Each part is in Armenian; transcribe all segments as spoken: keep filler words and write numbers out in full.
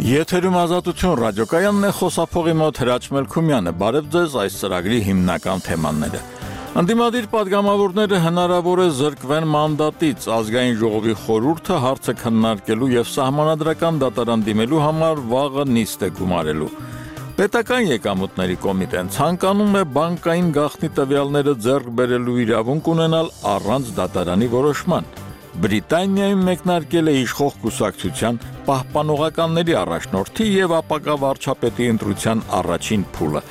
Եթերում ազատություն ռադիոկայանն է, խոսափողի մոտ Հրաչ Մելքումյանը, բարև ձեզ այս ծրագրի հիմնական թեմաները։ Ընդդիմադիր պատգամավորները հնարավոր է զրկվեն մանդատից, ազգային ժողովի խորհուրդը հարցը քննարկելու և սահմանադրական դատարան դիմելու համար վաղը նիստ է գումարելու։ Պետական եկամուտների կոմիտեն ցանկանում է բանկային գաղտնի տվյալները ձեռք բերելու իրավունք ունենալ առանց դատարանի որոշման։ Բրիտանիայում մեկնարկել է իշխող կուսակցության պահպանողականների առաջնորդի և ապագա վարչապետի ընտրության առաջին փուլը։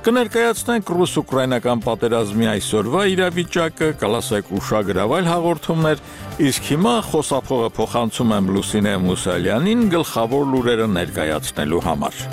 Կներկայացնենք ռուս-ուկրաինական պատերազմի այսօրվա իրավիճակը, կլասեք ուշագրավ այլ հաղորդումներ, իսկ հիմա խոսափողը փոխանցում եմ Լուսինե Մուսալյանին գլխավոր լուրերը ներկայացնելու համար։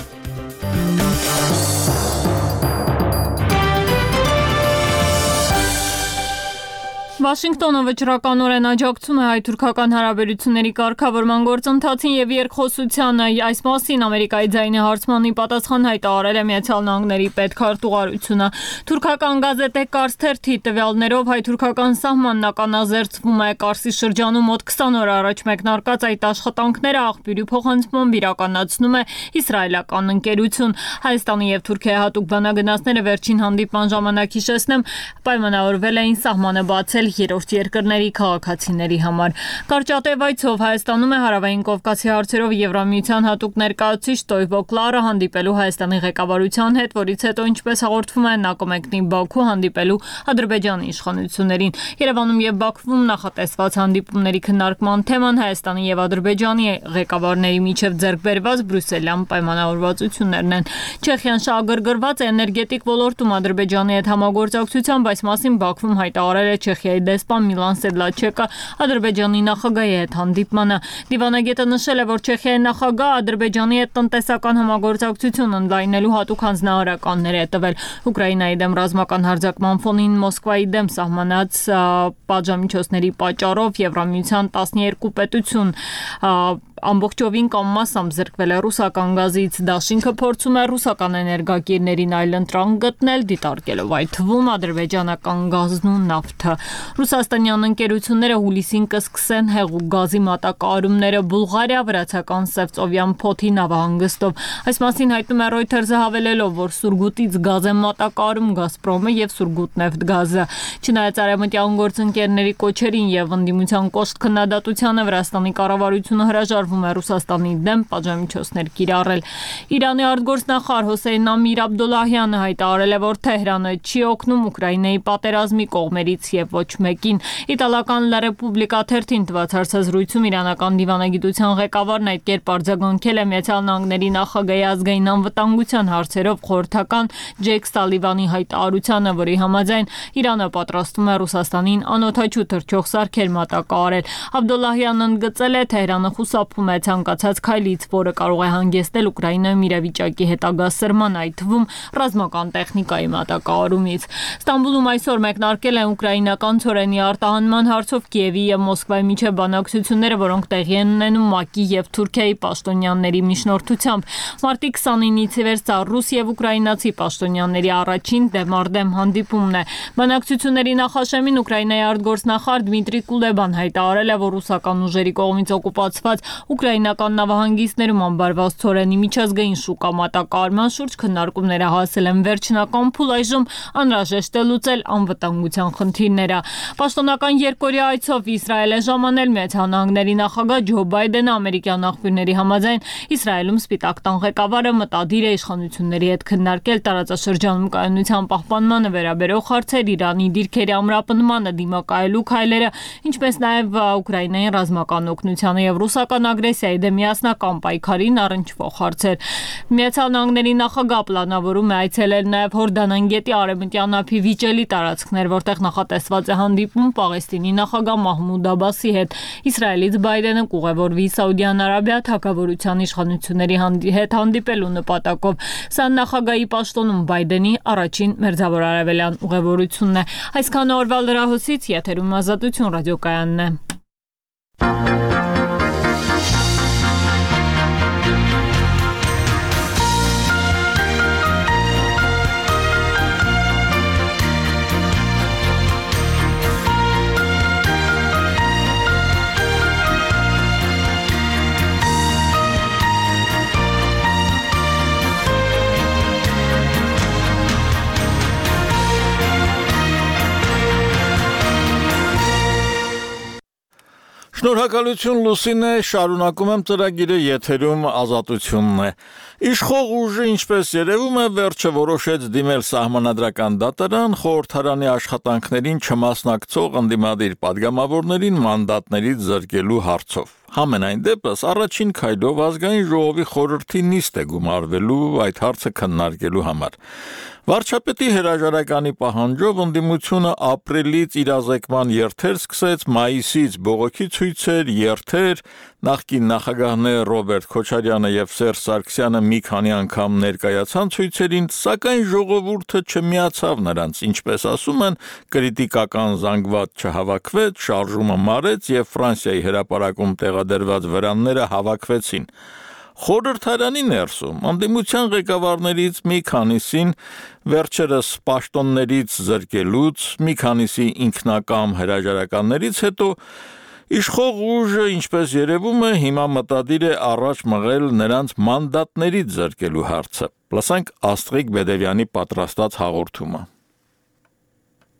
Վաշինգտոնը վճռականորեն աջակցում է հայ-թուրքական հարաբերությունների կարգավորման գործընթացին և երկխոսությանը։ Այս մասին Ամերիկայի ձայնի հարցմանի պատասխան հայտարարել է Միացյալ Նահանգների պետքարտուղարությունը։ Թուրքական գազետե Կարս թերթի տվյալներով հայ-թուրքական սահմանն ականազերծվում է։ Կարսի շրջանում մոտ քսան օր առաջ մեկնարկած այդ աշխատանքները աղբյուրի փոխանցմամբ իրականացնում է իսրայելական ընկերություն։ Հայաստանի և Թուրքիայի հատուկ բանագնացները վերջին հանդիպման ժամանակ, հիշեցնեմ, պայմանավորվել էին սահմանը բացել երրորդ երկրների քաղաքացիների համար։ Կարճատև այցով Հայաստանում է Հարավային Կովկասի հարցերով Եվրամիության հատուկ ներկայացուցիչ Տոյվո Կլարը հանդիպելու Հայաստանի ղեկավարության հետ, որից հետո, ինչպես հաղորդվում է, նա կմեկնի Բաքու հանդիպելու Ադրբեջանի իշխանություններին։ Երևանում և Բաքվում նախատեսված հանդիպումների քննարկման թեման Հայաստանի և Ադրբեջանի ղեկավարների միջև ձեռք բերված բրյուսելյան պայմանավորվածություններն են։ Չեխիան շահագրգռված է էներգետիկ ոլորտում Ադրբեջանի հետ համագործակցությամբ, այս մասին Բաքվում հայտարարել է Չեխիայի դեսպան Միլան Սեդլաչեկը Ադրբեջանի նախագահի հետ հանդիպմանը։ Դիվանագետը նշել է, որ Չեխիայի նախագահը Ադրբեջանի հետ տնտեսական համագործակցություն ընդլայնելու հատուկ հանձնարարականներ է տվել։ Ուկրաինայի դեմ ռազմական հարձակման ֆոնին Մոսկվայի դեմ սահմանած պատժամիջոցների պատճառով Եվրամիության տասներկու պետություն ամբողջովին կամ մասամբ զրկվել է ռուսական գազից։ Դաշինքը փորձում է ռուսական էներգակիրներին այլընտրանք գտնել, դիտարկելով այդ թվում ադրբեջանական գազն ու նավթը։ Ռուսաստանյան ընկերությունները հուլիսին կսկսեն հեղուկ գազի մատակարարումները Բուլղարիա վրացական Սևծովյան փոթի նավահանգստով։ Այս մասին հայտնում է Reuters-ը, հավելելով, որ Սուրգուտից գազ է մատակարարում Գազպրոմը և Սուրգուտնեֆտգազը։ Չնայած արևմտյան գործընկերների կոչերին և ընդդիմության կոշտ քննադատությանը, Վրաստանի կառավարությունը հրաժարվում է Ռուսաստանի դեմ պատժամիջոցներ կիրառել։ Իրանի արտգործնախարար Հոսեյն Ամիր Աբդոլլահյանը հայտարարել է, որ Թեհրանը չի օգնում Ուկրաինայի պատերազմի կողմերից և ոչ մեկին։ Իտալական La Repubblica թերթին տված հարցազրույցում իրանական դիվանագիտության ղեկավարն այդ կերպ արձագանքել է Միացյալ Նահանգների նախագահի ազգային անվտանգության հարցերով խորհրդական Ջեյք Սալիվանի հայտարարությանը, որի համաձայն Իրանը պատրաստվում է Ռուսաստանին անօդաչու թռչող սարքեր մատակարարել։ Աբդոլլահյանն ընդգծել է, Թեհրանը խուսափում է ցանկացած քայլից, որը կարող է հանգեցնել Ուկրաինայում իրավիճակի հետագա սրման, այդ թվում ռազմական տեխնիկայի մատակարարումից։ Ստամբուլում այսօր մեկնարկել են ուկրաինական ցորենի արտահանման հարցով Կիևի և Մոսկվայի միջև բանակցությունները, որոնք տեղի են ունենում ՄԱԿ-ի և Թուրքիայի պաշտոնյաների միջնորդությամբ։ Մարտի քսանինից ի վեր սա ռուս և ուկրաինացի պաշտոնյաների առաջին դեմառդեմ հանդիպումն է։ Բանակցությունների նախաշեմին Ուկրաինայի արտգործնախարար Դմիտրի Կուլեբան հայտարարել է, որ ռուսական ուժերի կողմից օկուպացված ուկրաինական նավահանգիստներում ամբարված ցորենի միջազգային շուկա մատակարարման շուրջ քննարկումները հասել են վերջնական փուլ, այժմ անհրաժեշտ է լուծել անվտանգության խնդիրները։ Պաշտոնական երկօրյա այցով Իսրայել է ժամանել Միացյալ Նահանգների նախագահ Ջո Բայդենը։ Ամերիկյան աղբյուրների համաձայն Իսրայելում Սպիտակ տան ղեկավարը մտադիր է իշխանությունների հետ քննարկել տարածաշրջանում կայունության պահպանմանը վերաբերող հարցեր, Իրանի դիրքերի ամրապնդմանը դիմակայելու քայլերը, ինչպես նաև Ուկրաինային ռազմական օգնությանը և ռուսական ագրեսիայի դեմ միասնական պայքարին առնչվող հարցեր։ Միացյալ Նահանգների նախագահ պլանավորում է այցելել նաև Հորդանան գետի արևմտյան ափի վիճելի տարածքներ, որտեղ նախատեսված է հանդիպում Պաղեստինի նախագահ Մահմուդ Աբասի հետ։ Իսրայելից Բայդենը կուղևորվի Սաուդյան Արաբիա թագավորության իշխանությունների հետ հանդիպելու նպատակով։ Սա նախագահի պաշտոնում Բայդենի առաջին մերձավոր արևելյան ուղևորությունն է։ Այսքան օրվա լրահոսից եթերում Ազատություն ռադիոկայանն է։ Շնորհակալություն Լուսինե, շարունակում եմ ծրագիրը, եթերում Ազատությունն է։ Իշխող ուժը, ինչպես երևում է, վերջը որոշեց դիմել Սահմանադրական դատարան խորհրդարանի աշխատանքներին չմասնակցող ընդդիմադիր պատգամավորներին մանդատներից զրկելու հարցով։ Համենայն դեպս առաջին քայլով ազգային ժողովի խորհրդի նիստ է գումարվելու այդ հարցը քննարկելու համար։ Վարչապետի հրաժարականի պահանջով ընդդիմությունը ապրիլից իրազեկման երթեր սկսեց, մայիսից բողոքի ցույցեր, երթեր, նախկին նախագահներ Ռոբերտ Քոչարյանը եւ Սերժ Սարգսյանը մի քանի անգամ ներկայացան ցույցերին, սակայն ժողովուրդը չմիացավ նրանց, ինչպես ասում են, կրիտիկական զանգված չհավաքվեց, շարժումը մարեց եւ Ֆրանսիայի հրապարակում տեղադրված վրանները հավաքվեցին։ Խորհրդարանի ներսում ընդդիմության ղեկավարներից մի քանիսին վերջերս պաշտոններից զրկելուց, մի քանիսի ինքնակամ հրաժարականներից հետո իշխող ուժը, ինչպես երևում է, հիմա մտադիր է առաջ մղել նրանց մանդատներից զրկելու հարցը։ Լսենք Աստղիկ Բեդևյանի պատրաստած հաղորդումը։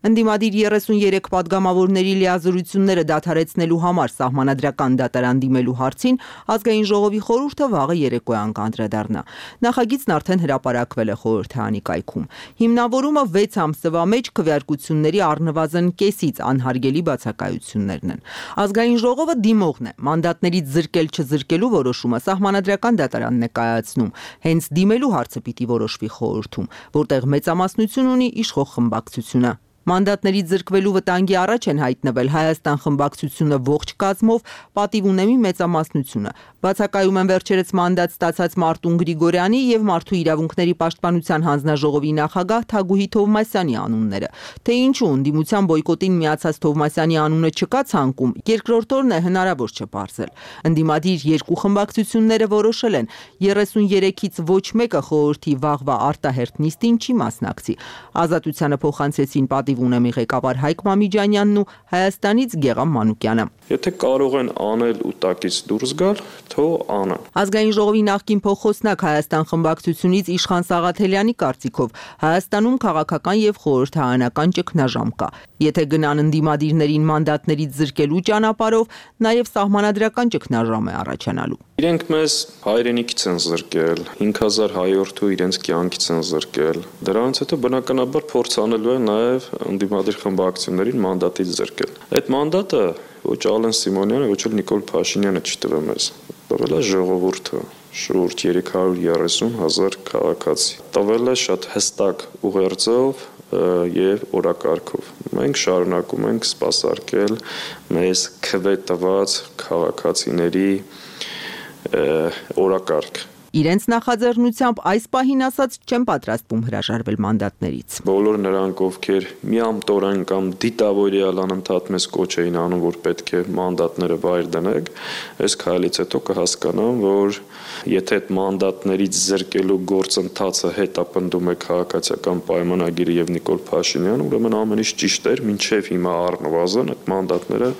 Ընդդիմադիր երեսուներեք պատգամավորների լիազորությունները դադարեցնելու համար Սահմանադրական դատարան դիմելու հարցին ազգային ժողովի խորհուրդը վաղը երեկոյան կանդրադառնա։ Նախագիծն արդեն հրապարակվել է խորհրդարանի կայքում։ Հիմնավորումը վեց ամսվա մեջ քվեարկությունների առնվազն կեսից անհարգելի բացակայություններն են։ Ազգային ժողովը դիմողն է, մանդատներից զրկել չզրկելու որոշումը Սահմանադրական դատարանն է կայացնում։ Հենց դիմելու հարցը պիտի որոշվի խորհրդում, որտեղ մեծամասնություն ունի իշխող խմբակցությունը։ Մանդատներից զրկվելու վտանգի առաջ են հայտնվել Հայաստան խմբակցությունը ողջ կազմով, պատիվ ունեմի մեծամասնությունը։ Բացակայում են վերջերս մանդատ ստացած Մարտուն Գրիգորյանի եւ Մարդու իրավունքների պաշտպանության հանձնաժողովի նախագահ Թագուհի Թովմասյանի անունները։ Թե ինչու ընդդիմության բոյկոտին միացած Թովմասյանի անունը չկա ցանկում, երկրորդ օրն է հնարավոր չէ պարզել։ Ընդդիմադիր երկու խմբակցությունները որոշել են երեսուներեքից ոչ մեկը խորհրդի վաղվա արտահերթ նիստին չի մասնակցի։ Ազատությանը փոխանցեցին պատիվ ունեմի ղեկավար Հայկ Մամիջանյանն ու Հայաստանից Գեղամ Մանուկյանը։ Եթե կարող են անել ու տակից դուրս գալ, թող անեն։ Ազգային ժողովի նախկին փոխոսնակ Հայաստան խմբակցությունից Իշխան Սաղաթելյանի կարծիքով Հայաստանում քաղաքական եւ խորհրդարանական ճգնաժամ կա։ Եթե գնան ընդդիմադիրներին մանդատներից զրկելու ճանապարհով, նաեւ սահմանադրական ճգնաժամ է առաջանալու։ Իրենք մեզ հայրենիքից են զրկել, հինգ հազար հայորդու իրենց կյանքից են զրկել։ Դրանից հետո բնականաբար փորձ անելու են նաեւ ընդդիմադիր խմբակցություններին մանդատից զրկել։ Այդ մանդատը ոչ Ալեն Սիմոնյանը, ոչ էլ Նիկոլ Փաշինյանը չտվել մեզ։ Տվել է ժողովուրդը, շուրջ երեք հարյուր երեսուն հազար քաղաքացի։ Տվել է շատ հստակ ուղերձով եւ օրակարգով։ Մենք շարունակում ենք սպասարկել մեզ քվե տված քաղաքացիների օրակարգ։ Իրենց նախաձեռնությամբ այս պահին ասած չեն պատրաստվում հրաժարվել մանդատներից։ Բոլոր նրանք, ովքեր միամտորեն կամ դիտավորյալ անընդհատ մեզ կոչ էին անում, որ պետք է մանդատները վայր դնեք, այս քայլից հետո կհասկանան, որ եթե այդ մանդատներից զրկելու գործընթացը հետապնդում է քաղաքացիական պայմանագիրը եւ Նիկոլ Փաշինյանը, ուրեմն ամեն ինչ ճիշտ էր, մինչեւ հիմա առնվազն այդ մանդատները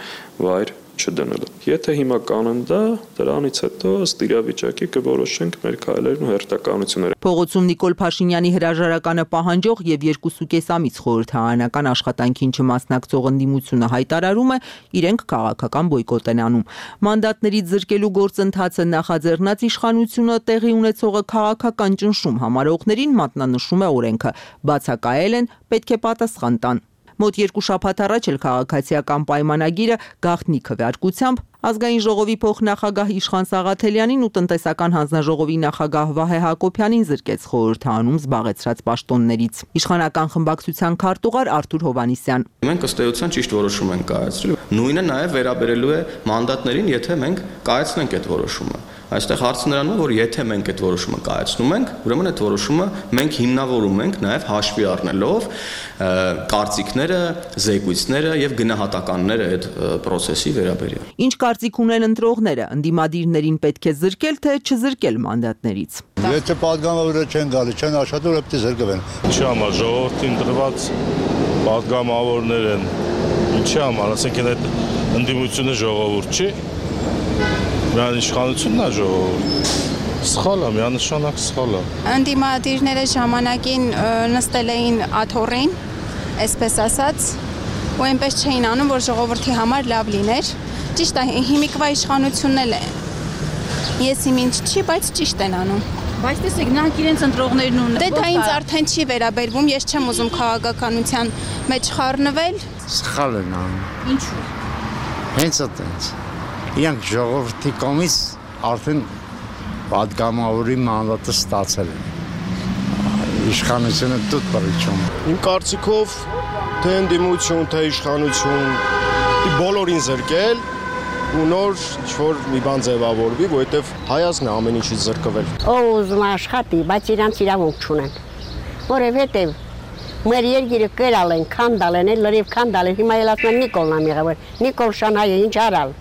վայր չդնելը։ Եթե հիմա կանեն դա, դրանից հետո ըստ իրավիճակի կորոշենք մեր քայլերն ու հերթականությունները։ Փողոցում Նիկոլ Փաշինյանի հրաժարականը պահանջող եւ երկու կես ամիս խորհրդարանական աշխատանքին չմասնակցող ընդդիմությունը հայտարարում է, իրենք քաղաքական բոյկոտ են անում։ Մանդատներից զրկելու գործընթացը նախաձեռնած իշխանությունը տեղի ունեցողը քաղաքական ճնշում համարողներին մատնանշում է օրենքը, բացակայել են, պետք է պատասխան տան։ Մոտ երկու շաբաթ առաջ էլ քաղաքացիական պայմանագիրը գաղտնի քվեարկությամբ Ազգային ժողովի փոխնախագահ Իշխան Սաղաթելյանին ու տնտեսական հանձնաժողովի նախագահ Վահե Հակոբյանին զրկեց խորհրդարանում զբաղեցրած պաշտոններից։ Իշխանական խմբակցության քարտուղար Արթուր Հովհաննիսյան։ Մենք ըստ էության ճիշտ որոշում ենք կայացրել։ Նույնը նաև վերաբերելու է մանդատներին, եթե մենք կայացնենք այդ որոշումը։ Այստեղ հարցը նրանում է, որ եթե մենք այդ որոշումը կայացնում ենք, ուրեմն այդ որոշումը մենք հիմնավորում ենք նաև հաշվի առնելով կարծիքները, զեկույցները եւ գնահատականները այդ process-ի վերաբերյալ։ Ինչ կարծիք ունեն ընտրողները, ընդդիմադիրներին պետք է զրկել թե չզրկել մանդատներից։ Եթե պատգամավորները չեն գալի, չեն աշխատում, պետք է զրկվեն։ Ինչի համար ժողովրդին դրված պատգամավորներ են։ Ինչի համար, ասենք այդ ընդդիմությունը ժողովուրդ չի։ Միան իշխանությունն է ժողովուրդ։ Սխալ է, միանշանակ սխալ է։ Ընդդիմադիրները ժամանակին նստել էին աթոռին, այսպես ասած, ու այնպես չէին անում, որ ժողովրդի համար լավ լիներ։ Ճիշտ է, հիմիկվա իշխանությունն էլ է։ Ես իմ ինչ չի, բայց ճիշտ են անում։ Բայց տեսեք, նրանք իրենց ընտրողներն ունեն։ Դե դա ինձ արդեն չի վերաբերվում, ես չեմ ուզում քաղաքականության մեջ խառնվել։ Սխալ են անում։ Ինչու՞։ Հենց այդպես։ Իրանք ժողովրդի կողմից արդեն պատգամավորի մանդատը ստացել են։ Իշխանությունը դուտ պրիչում։ Իմ կարծիքով թե ընդդիմություն, թե իշխանություն բոլորին զրկել ու նոր ինչ-որ մի բան ձևավորվի, որովհետև հայացքն է ամեն ինչից զրկվել։ Ով ուզում աշխատի, բայց իրանց իրավունք չունեն։ Որովհետև մեր երկիրը կերալ են, քանդալ են, լրիվ քանդալ են, հիմա էլ ասում են Նիկոլն ա եղել։ Նիկոլ Շանհայը ինչ արալ։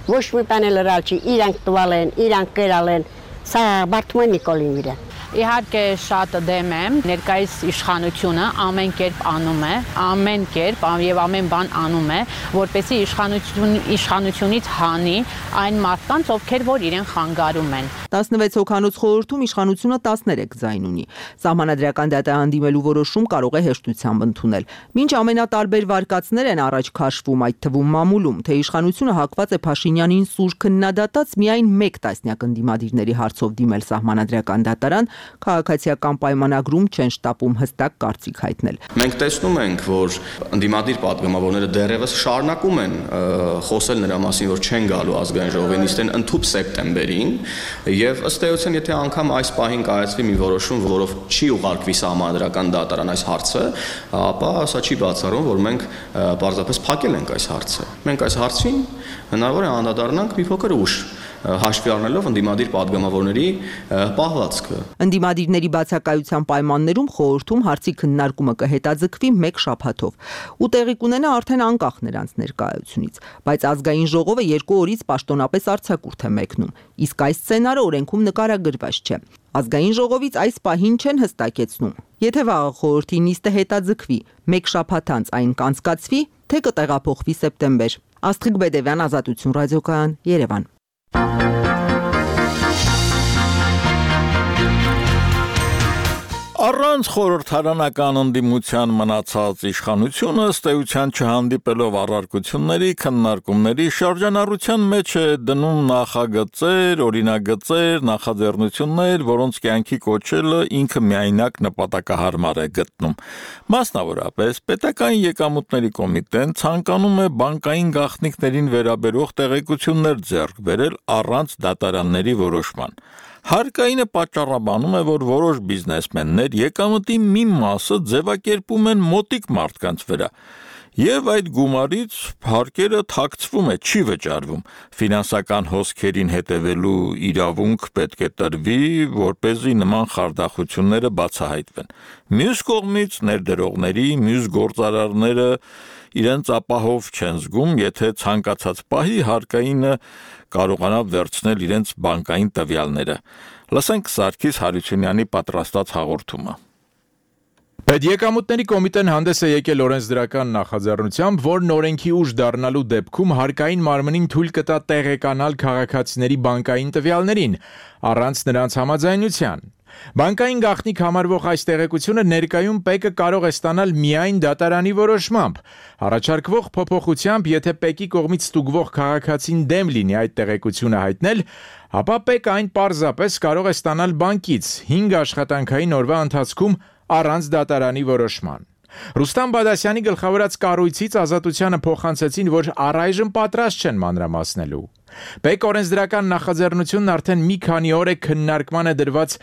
Ոչ մի բան էլ լրալ չի, իրանք տվալ են, իրանք կերալ են, սա բարդում է Նիկոլին վրա։ Իհարկե շատ դեմ եմ, ներկայիս իշխանությունը ամեն կերպ անում է, ամեն կերպ եւ ամեն բան անում է, որպեսզի իշխանություն իշխանությունից հանի այն մարդկանց, ովքեր որ իրեն խանգարում են։ տասնվեց հոգանոց խորհրդում իշխանությունը տասներեք ձայն ունի։ Սահմանադրական դատարան դիմելու որոշում կարող է հեշտությամբ ընդունել։ Մինչ ամենատարբեր վարկածներ են առաջ քաշվում, այդ թվում մամուլում, թե իշխանությունը հակված է Փաշինյանին սուր քննադատած միայն մեկ տասնյակ ընդդիմադիրների հարցով դիմել սահմանադրական դատարան, քաղաքացիական պայմանագրում չեն շտապում հստակ կարծիք հայտնել։ Մենք տեսնում ենք, որ ընդդիմադիր պատգամավորները դեռևս շարունակում են խոսել նրա մասին, որ չեն գալու ազգային ժողովին, իսկ են ընդհուպ սեպտեմբերին, եւ ըստ էության, եթե անգամ այս պահին կայացվի մի որոշում, որով չի ուղարկվի սահմանադրական դատարան այս հարցը, ապա սա չի բացառում, որ մենք պարզապես փակել ենք այս հարցը։ Մենք այս հարցին հնարավոր է անդրադառնանք մի փոքր ուշ, հաշվի առնելով ընդդիմադիր պատգամավորների պահվածքը։ Ընդդիմադիրների բացակայության պայմաններում խորհրդում հարցի քննարկումը կհետաձգվի մեկ շաբաթով ու տեղի կունենա արդեն անկախ նրանց ներկայությունից, բայց ազգային ժողովը երկու օրից պաշտոնապես արձակուրդ է մեկնում, իսկ այս սցենարը օրենքում նկարագրված չէ։ Ազգային ժողովից այս պահին չեն հստակեցնում, եթե վաղը խորհրդի նիստը հետաձգվի, մեկ շաբաթ անց այն կանցկացվի, թե կտեղափոխվի սեպտեմբեր։ Աստղիկ Բեդևյան, Ազատություն ռադիոկայան, Երևան։ Առանց խորհրդարանական ընդդիմության մնացած իշխանությունը ըստ էության չհանդիպելով առարկությունների, քննարկումների շրջանառության մեջ է դնում նախագծեր, օրինագծեր, նախաձեռնություններ, որոնց կյանքի կոչելը ինքը միայնակ նպատակահարմար է գտնում։ Մասնավորապես, պետական եկամուտների կոմիտեն ցանկանում է բանկային գաղտնիքներին վերաբերող տեղեկություններ ձեռք բերել առանց դատարանների որոշման։ Հարկայինը պատճառաբանում է, որ որոշ բիզնեսմեններ եկամտի մի մասը ձևակերպում են մոտիկ մարդկանց վրա, եւ այդ գումարից հարկերը թաքցվում է, չի վճարվում։ Ֆինանսական հոսքերին հետևելու իրավունք պետք է տրվի, որպեսզի նման խարդախությունները բացահայտվեն։ Մյուս կողմից ներդրողների, մյուս գործարարները իրենց ապահով չեն զգում, եթե ցանկացած պահի հարկայինը կարողանա վերցնել իրենց բանկային տվյալները։ Լսենք Սարգիս Հարությունյանի պատրաստած հաղորդումը։ Պետեկամուտների կոմիտեն հանդես է եկել օրենսդրական նախաձեռնությամբ, որն օրենքի ուժ դառնալու դեպքում հարկային մարմնին թույլ կտա տեղեկանալ քաղաքացիների բանկային տվյալներին, առանց նրանց համաձայնության։ Բանկային գաղտնիք համարվող այս տեղեկությունը ներկայում ՊԵԿ-ը կարող է ստանալ միայն դատարանի որոշմամբ։ Առաջարկվող փոփոխությամբ, եթե ՊԵԿ-ի կողմից ստուգվող քաղաքացին դեմ լինի այդ տեղեկությունը հայտնել, ապա ՊԵԿ-ը այն պարզապես կարող է ստանալ բանկից հինգ աշխատանքային օրվա ընթացքում առանց դատարանի որոշման։ Ռուստամ Բադասյանի գլխավորած կառույցից Ազատությանը փոխանցեցին, որ առայժմ պատրաստ չեն մանրամասնելու։ ՊԵԿ օրենսդրական նախաձեռնությունն արդեն մի քանի օր է քննարկման է դրված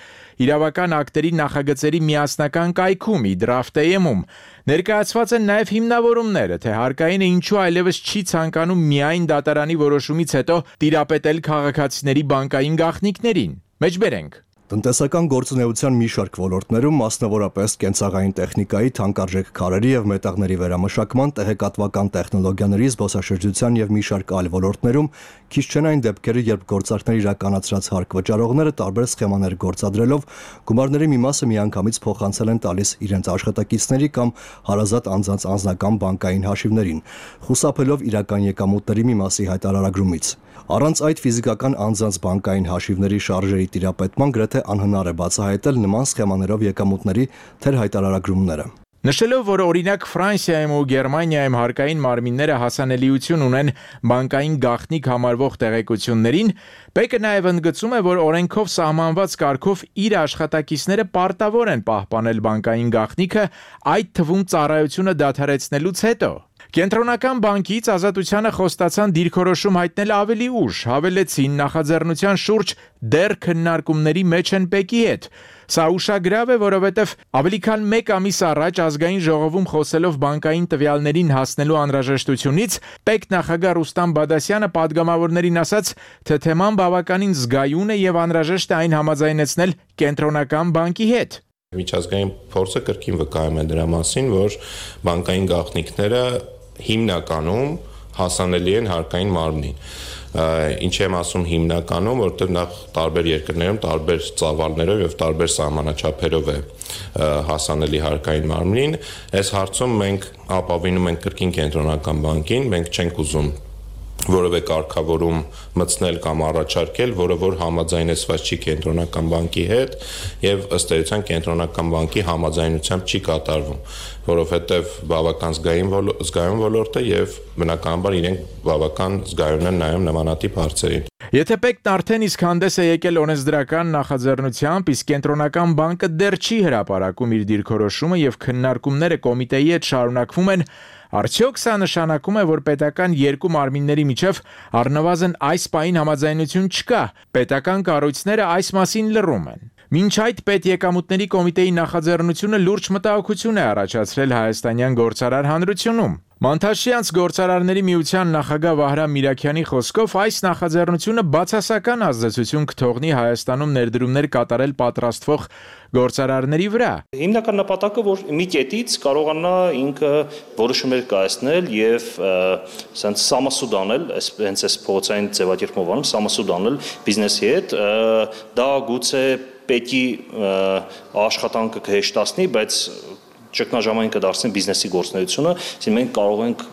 իրավական ակտերի նախագծերի միասնական կայքում՝ Իդրաֆտեյում։ Ներկայացված են նաև հիմնավորումները, թե հարկայինը ինչու այլևս չի ցանկանում միայն դատարանի որոշումից հետո տիրապետել քաղաքացիների բանկային գաղտնիքներին։ Մեջբերենք։ Տնտեսական գործունեության մի շարք ոլորտներում, մասնավորապես կենցաղային տեխնիկայի, թանկարժեք քարերի եւ մետաղների վերամշակման, տեղեկատվական տեխնոլոգիաների, զբոսաշրջության եւ մի շարք այլ ոլորտներում քիչ չեն այն դեպքերը, երբ գործարքներ իրականացրած հարկ վճարողները տարբեր սխեմաներ գործադրելով գումարների մի մասը միանգամից փոխանցել են տալիս իրենց աշխատակիցների կամ հարազատ անձանց անձնական բանկային հաշիվներին, խուսափելով իրական եկամուտների մի մասի հայտարարագրումից։ Առանց այդ ֆիզիկական անձանց բանկային հաշիվների շարժերի տիրապետման գրեթե անհնար է բացահայտել նման սխեմաներով եկամուտների թերհայտարարագրումները։ Նշելով, որ օրինակ Ֆրանսիայում ու Գերմանիայում հարկային մարմինները հասանելիություն ունեն բանկային գաղտնիք համարվող տեղեկություններին, Պեկը նաև ընդգծում է, որ օրենքով սահմանված կարգով իր աշխատակիցները պարտավոր են պահպանել բանկային գաղտնիքը, այդ թվում ծառայությունը դադարեցնելուց հետո։ Կենտրոնական բանկից Ազատությանը խոստացան դիրքորոշում հայտնել ավելի ուշ, հավելեցին նախաձեռնության շուրջ դեռ քննարկումների մեջ են Պեկի հետ։ Սա ուշագրավ է, որովհետև ավելի քան մեկ ամիս առաջ ազգային ժողովում խոսելով բանկային տվյալներին հասնելու անհրաժեշտությունից, Պեկ նախագահ Ռուստամ Բադասյանը պատգամավորներին ասաց, թե թեման բավականին զգայուն է եւ անհրաժեշտ է այն համաձայնեցնել Կենտրոնական բանկի հետ։ Միջազգային փորձը կրկին վկայում է դրա մասին, որ բանկային գաղտնիքները հիմնականում հասանելի են հարկային մարմնին։ Ինչ եմ ասում հիմնականում, որտեղ նախ տարբեր երկրներում տարբեր ծավալներով եւ տարբեր սահմանաչափերով է հասանելի հարկային մարմնին։ Այս հարցում մենք ապավինում ենք կրկին Կենտրոնական բանկին, մենք չենք ուզում որևէ կարգավորում մտցնել կամ առաջարկել, որը որ համաձայնեցված չի Կենտրոնական բանկի հետ եւ ըստ էության Կենտրոնական բանկի համաձայնությամբ չի կատարվում, որովհետեւ բավական զգայուն զգայուն ոլորտ է եւ բնականաբար իրենք բավական զգայուն են նայում նմանատիպ հարցերին։ Եթե Պեկն արդեն իսկ հանդես է եկել օրենսդրական նախաձեռնությամբ, իսկ Կենտրոնական բանկը դեռ չի հրապարակում իր դիրքորոշումը եւ քննարկումները կոմիտեի հետ շարունակվում են, արդյոք սա նշանակում է, որ պետական երկու մարմինների միջև առնվազն այս պահին համաձայնություն չկա, պետական կառույցները այս մասին լռում են։ Մինչ այդ պետեկամուտների կոմիտեի նախաձեռնությունը լուրջ մտահոգություն է առաջացրել հայաստանյան գործարար հանրությունում։ Մանթաշյանց գործարարների միության նախագահ Վահրամ Միրաքյանի խոսքով այս նախաձեռնությունը բացասական ազդեցություն կթողնի Հայաստանում ներդրումներ կատարել պատրաստվող գործարարների վրա։ Հիմնական նպատակը, որ մի կետից կարողանա ինքը որոշումներ կայացնել եւ ասենց սամասուդ անել, հենց այս փողոցային ձևակերպով անում, սամասուդ անել բիզնեսի հետ, դա գուցե պետքի աշխատանքը կհեշտացնի, բայց ճգնաժամային կդարձնի բիզնեսի գործունեությունը, այսինքն մենք կարող ենք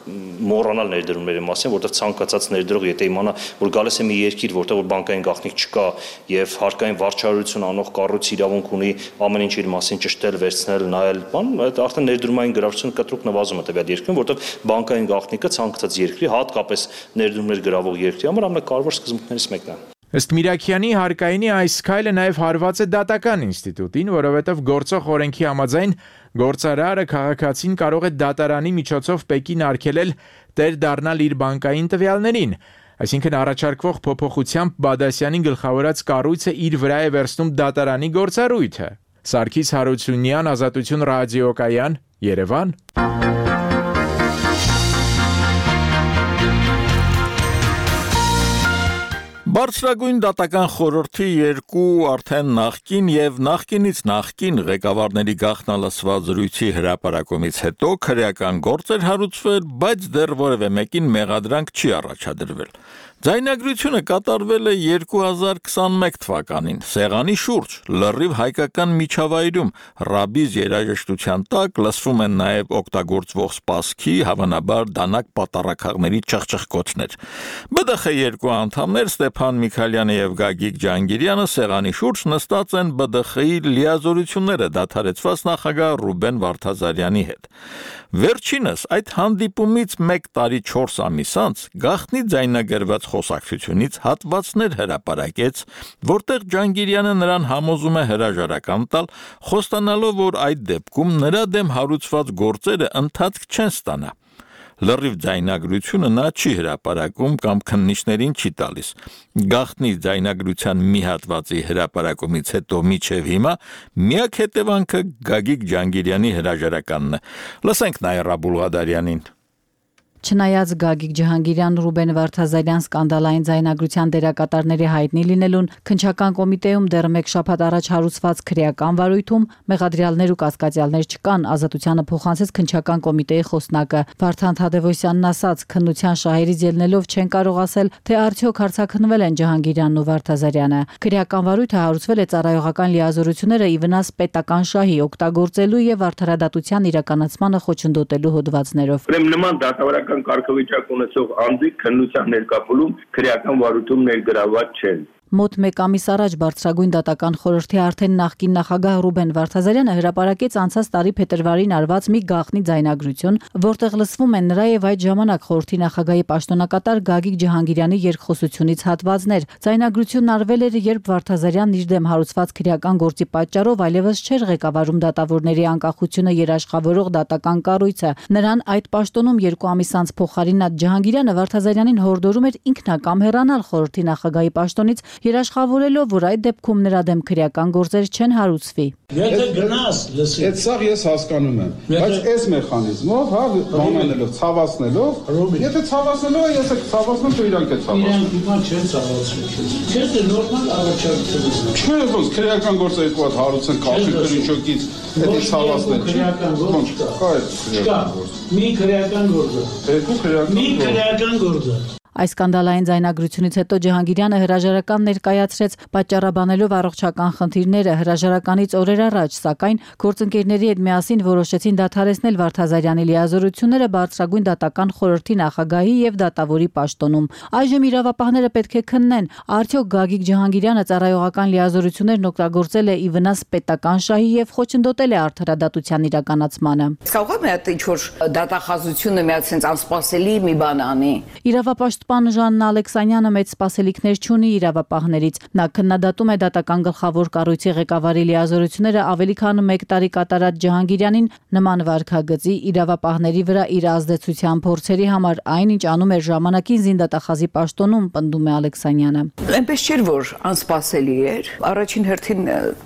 մոռանալ ներդրումների մասին, որտեղ ցանկացած ներդրող եթե իմանա, որ գալիս է մի երկիր, որտեղ որ բանկային գաղտնիք չկա եւ հարկային վարչարություն անող կառույց իրավունք ունի ամեն ինչ իր մասին ճշտել, վերցնել, նայել, բան, այդ արդեն ներդրումային գրավչությունը կտրուկ նվազում է տվյալ երկրում, որտեղ բանկային գաղտնիքը ցանկացած երկրի, հատկապես ներդրումներ գրավող երկրի համար ամենակարևոր սկզբունքներից մեկն է։ Ըստ Միրաքյանի հարկայինի այս քայլը նաև հարված է դատական ինստիտուտին, որովհետև գործող օրենքի համաձայն գործարարը քաղաքացին կարող է դատարանի միջոցով Պեկին արգելել տեր դառնալ իր բանկային տվյալներին, այսինքն առաջարկվող փոփոխությամբ Բադասյանի գլխավորած կառույցը իր վրա է վերցնում դատարանի գործառույթը։ Սարգիս Հարությունյան, Ազատություն ռադիոկայան, Երևան։ Բարձրագույն դատական խորհրդի երկու արդեն նախկին եւ նախկինից նախկին ղեկավարների գաղտնալսված զրույցի հրապարակումից հետո քրեական գործ էր հարուցվել, բայց դեռ որևէ մեկին մեղադրանք չի առաջադրվել։ Ձայնագրությունը կատարվել է երկու հազար քսանմեկ թվականին, Սեղանի շուրջ, լրիվ հայկական միջավայրում, ռաբիզ երաժշտության տակ լսվում են նաև օգտագործվող սպասքի, հավանաբար դանակ պատառաքաղների ճղճղկոցներ։ Բ Դ Խ երկու անդամներ Ստեփան Միքայելյանը եւ Գագիկ Ջանգիրյանը Սեղանի շուրջ նստած են Բ Դ Խ-ի լիազորությունները դադարեցված նախագահ Ռուբեն Վարդազարյանի հետ։ Վերջինս այդ հանդիպումից մեկ տարի չորս ամիս անց գաղտնի ձայնագրված խոսակցությունից հատվածներ հրապարակեց, որտեղ Ջանգիրյանը նրան համոզում է հրաժարական տալ, խոստանալով, որ այդ դեպքում նրա դեմ հարուցված գործերը ընթացք չեն ստանա։ Լրիվ ձայնագրությունը նա չի հրապարակում կամ քննիչներին չի տալիս։ Գաղտնի ձայնագրության մի հատվածի հրապարակումից հետո մինչև հիմա միակ հետևանքը Գագիկ Ջանգիրյանի հրաժարականն է։ Լսենք Նաիրա Բուլղադարյանին։ Չնայած Գագիկ Ջհանգիրյան, Ռուբեն Վարդազարյան սկանդալային ձայնագրության դերակատարների հայտնի լինելուն, քննչական կոմիտեում դեռ մեկ շաբաթ առաջ հարուցված քրեական վարույթում մեղադրյալներ ու կասկածյալներ չկան, Ազատությանը փոխանցեց քննչական կոմիտեի խոսնակը Վարդան Թադևոսյանն ասաց, քննության շահերից ելնելով չեն կարող ասել, թե արդյոք հարցաքննվել են Ջհանգիրյանն ու Վարդազարյանը։ Քրեական վարույթը հարուցվել է ծառայողական լիազորությունները ի վնաս պետական շահի օգտագործելու եւ արդարադատության իրականացմանը խոչընդոտելու հոդվածներով։ Նման դատավարական կարգավիճակ ունեցող անձիկ քննության ներկայացում քրեական վարույթում ներգրավված չեն։ Մոտ մեկ ամիս առաջ բարձրագույն դատական խորհրդի արդեն նախկին նախագահ Ռուբեն Վարդազարյանը հրապարակեց անցած տարի փետրվարին արված մի գաղտնի ձայնագրություն, որտեղ լսվում են նրա եւ այդ ժամանակ խորհրդի նախագահի պաշտոնակատար Գագիկ Ջհանգիրյանի երկխոսությունից հատվածներ։ Ձայնագրությունն արվել էր, երբ Վարդազարյանն իր դեմ հարուցված քրեական գործի պատճառով այլևս չէր ղեկավարում դատավորների անկախությունը երաշխավորող դատական կառույցը։ Նրան այդ պաշտոնում երկու ամիս անց փոխարինած Ջհանգիրյանը Վարդազարյանին հորդորում էր ինքնակամ հեռանալ խորհրդի նախագահի պաշտոնից, երաշխավորելով, որ այդ դեպքում նրա դեմ քրեական գործեր չեն հարուցվի։ Եթե գնաս, լսի։ Այդ սա ես հասկանում եմ, բայց այս մեխանիզմով, հա, բանանելով, ցավացնելով, եթե ցավացնելով է, ես եք ցավացնում, թե իրանք է ցավացնում։ Իրանք հիմա չեն ցավացնում։ Չէ՞, դե նորմալ առաջարկություն է։ Չէ, ոնց քրեական գործը երկու հատ հարուցեն կախի կրինչոկից, դա ցավացնել չի։ Քրեական գործ կա։ Կա։ Մի քրեական գործ է։ Երկու քրեական գործ։ Մի քրեական գործ է։ Այս սկանդալային ձայնագրությունից հետո Ջհանգիրյանը հրաժարական ներկայացրեց, պատճառաբանելով առողջական խնդիրները հրաժարականից օրեր առաջ, սակայն գործընկերների հետ միասին որոշեցին դադարեցնել Վարդազարյանի լիազորությունները բարձրագույն դատական խորհրդի նախագահի եւ դատավորի պաշտոնում։ Այժմ իրավապահները պետք է քննեն, արդյոք Գագիկ Ջհանգիրյանը ծառայողական լիազորություններն օգտագործել է ի վնաս պետական շահի եւ խոչընդոտել է արդարադատության իրականացմանը։ Կարող է այդ ինչ-որ դատախազությունը մի հատ sense անսպասելի մի բան անի։ Իրավապաշտ Պաշտպան Ժաննա Ալեքսանյանը մեծ սպասելիքներ չունի իրավապահներից։ Նա քննադատում է դատական գլխավոր կառույցի ղեկավարի լիազորությունները ավելի քան մեկ տարի կատարած Ջհանգիրյանին նման վարքագծի իրավապահների վրա իր ազդեցության փորձերի համար, այնինչ անում էր ժամանակին զինդատախազի պաշտոնում, պնդում է Ալեքսանյանը։ Այնպես չէր, որ անսպասելի էր։ Առաջին հերթին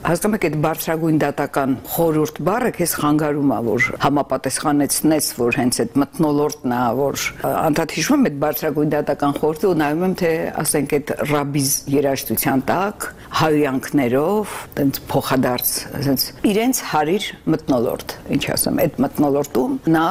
հասկանում եք այդ բարձրագույն դատական խորհուրդ բառը քեզ խանգարում է, որ համապատասխանեցնես, որ հենց այդ մթնոլորտն է, որ անդադ հիշում եմ այդ բարձրագույն դատական խորհուրդը ու նայում եմ, թե ասենք այդ ռաբիզ երաժշտության տակ հայյանքներով, տենց փոխադարձ, ասենց իրենց հարիր մթնոլորտ, ինչ ասեմ, այդ մթնոլորտում նա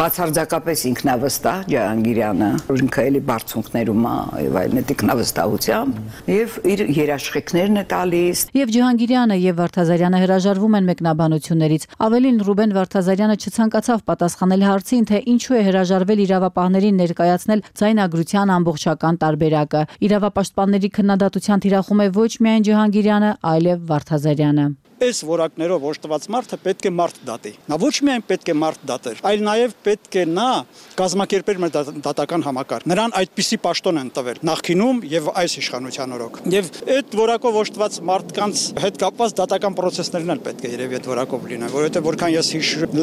բացարձակապես ինքնավստահ Ջհանգիրյանը, ինքը էլի բարձունքներում է եւ այլն այդ ինքնավստահությամբ եւ իր երաշխիքներն է տալիս։ Եվ Ջհանգիրյանը եւ Վարդազարյանը հրաժարվում են մեկնաբանություններից։ Ավելին Ռուբեն Վարդազարյանը չցանկացավ պատասխանել հարցին, թե ինչու է հրաժարվել իրավապահներին ներկայացնել ձայնագրության ամբողջական տարբերակը։ Իրավապաշտպանների քննադատության թիրախում է ոչ միայն Ջհանգիրյանը, այլև Վարդազարյանը։ Այս որակներով օժտված մարդը պետք է մարդ դատի։ Նա ոչ միայն պետք է մարդ դատեր, այլ նաև պետք է նա կազմակերպեր մեր դատական համակարգ։ Նրան այդպիսի պաշտոն են տվել նախկինում եւ այս իշխանության օրոք։ Եվ այդ որակով օժտված մարդկանց հետ կապված դատական process-ներն էլ պետք է երևի այդ որակով լինեն, որովհետեւ որքան ես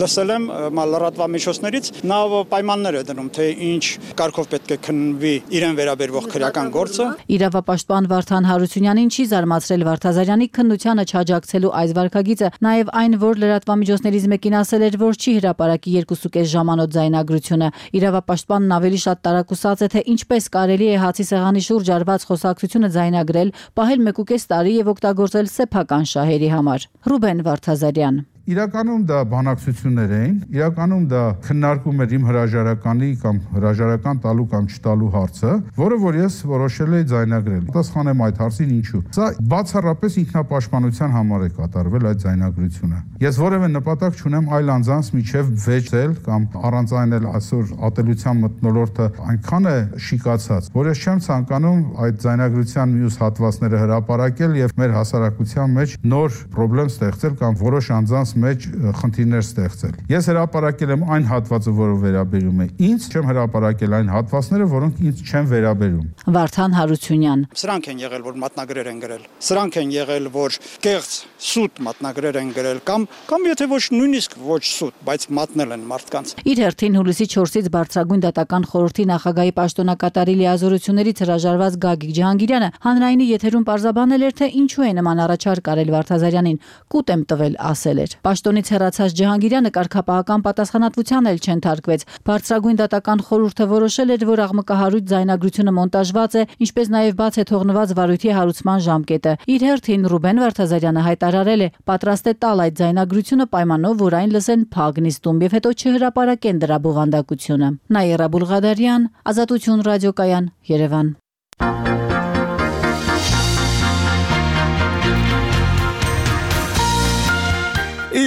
լսել եմ լրատվամիջոցներից, նա պայմաններ է դնում, թե ինչ կարգով պետք է քննվի իրեն վերաբերող քրեական գործը։ Իրավապաշտպան Վարդան Հարությունյանին չի զարմացրել Վարդազարյանի քննությանը չաջակցելու այս վարքագիծը, նաև այն, որ լրատվամիջոցներից մեկին ասել էր, որ չի հրապարակի երկուսուկես ժամանոց ձայնագրությունը։ Իրավապաշտպանն ավելի շատ տարակուսած է, թե ինչպես կարելի է հացի սեղանի շուրջ արված խոսակցությունը ձայնագրել, պահել մեկուկես տարի եւ օգտագործել սեփական շահերի համար։ Ռուբեն Վարդազարյան Իրականում դա բանակցություններ էին, իրականում դա քննարկում էր իմ հրաժարականի կամ հրաժարական տալու կամ չտալու հարցը, որը որ ես որոշել էի ձայնագրել։ Պատասխանեմ այդ հարցին ինչու։ Սա բացառապես ինքնապաշտպանության համար է կատարվել այդ ձայնագրությունը։ Ես որևէ նպատակ չունեմ այլ անձանց միջև վեճել կամ առանց այն էլ այսօր ատելության մթնոլորտը այնքան է շիկացած, որ ես չեմ ցանկանում այդ ձայնագրության մյուս հատվածները հրապարակել եւ մեր հասարակության մեջ նոր խնդրեմ ստեղծել կամ որոշ անձանց մեջ խնդիրներ ստեղծել։ Ես հրապարակել եմ այն հատվածը, որը վերաբերում է ինձ, չեմ հրապարակել այն հատվածները, որոնք ինձ չեն վերաբերում։ Վարդան Հարությունյան Սրանք են եղել, որ մատնագրեր են գրել։ Սրանք են եղել, որ կեղծ սուտ մատնագրեր են գրել կամ կամ եթե ոչ նույնիսկ ոչ սուտ, բայց մատնել են մարդկանց։ Իր հերթին հուլիսի չորսից բարձրագույն դատական խորհրդի նախագահի պաշտոնակատարի լիազորություններից հրաժարված Գագիկ Ջհանգիրյանը հանրայինի եթերում պարզաբանել էր, թե ինչու է նման առաջարկ արել Վարդազարյանին։ Կուտ եմ տվել, ասել էր։ Պաշտոնից հեռացած Ջհանգիրյանը կարգապահական պատասխանատվության էլ չընթարկվեց։ Բարձրագույն դատական խորհուրդը որոշել էր, որ աղմկահարույց ձայնագրությունը մոնտաժված է, ինչպես նաև բաց է թողնված վարույթի հարուցման ժամկետը։ Իր հերթին Ռուբեն Վարդազարյանը հայտարարել է, պատրաստ է տալ այդ ձայնագրությունը պայմանով, որ այն լսեն փակ նիստում եւ հետո չհրապարակեն դրա բովանդակությունը։ Նաիրա Բուլղադարյան, Ազատություն ռադիոկայան, Երևան։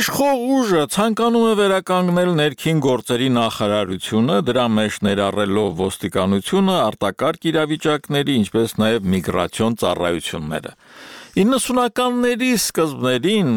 Իշխող ուժը ցանկանում է վերականգնել ներքին գործերի նախարարությունը, դրա մեջ ներառելով ոստիկանությունը, արտակարգ իրավիճակների, ինչպես նաև միգրացիոն ծառայությունները։ իննսունականների սկզբներին,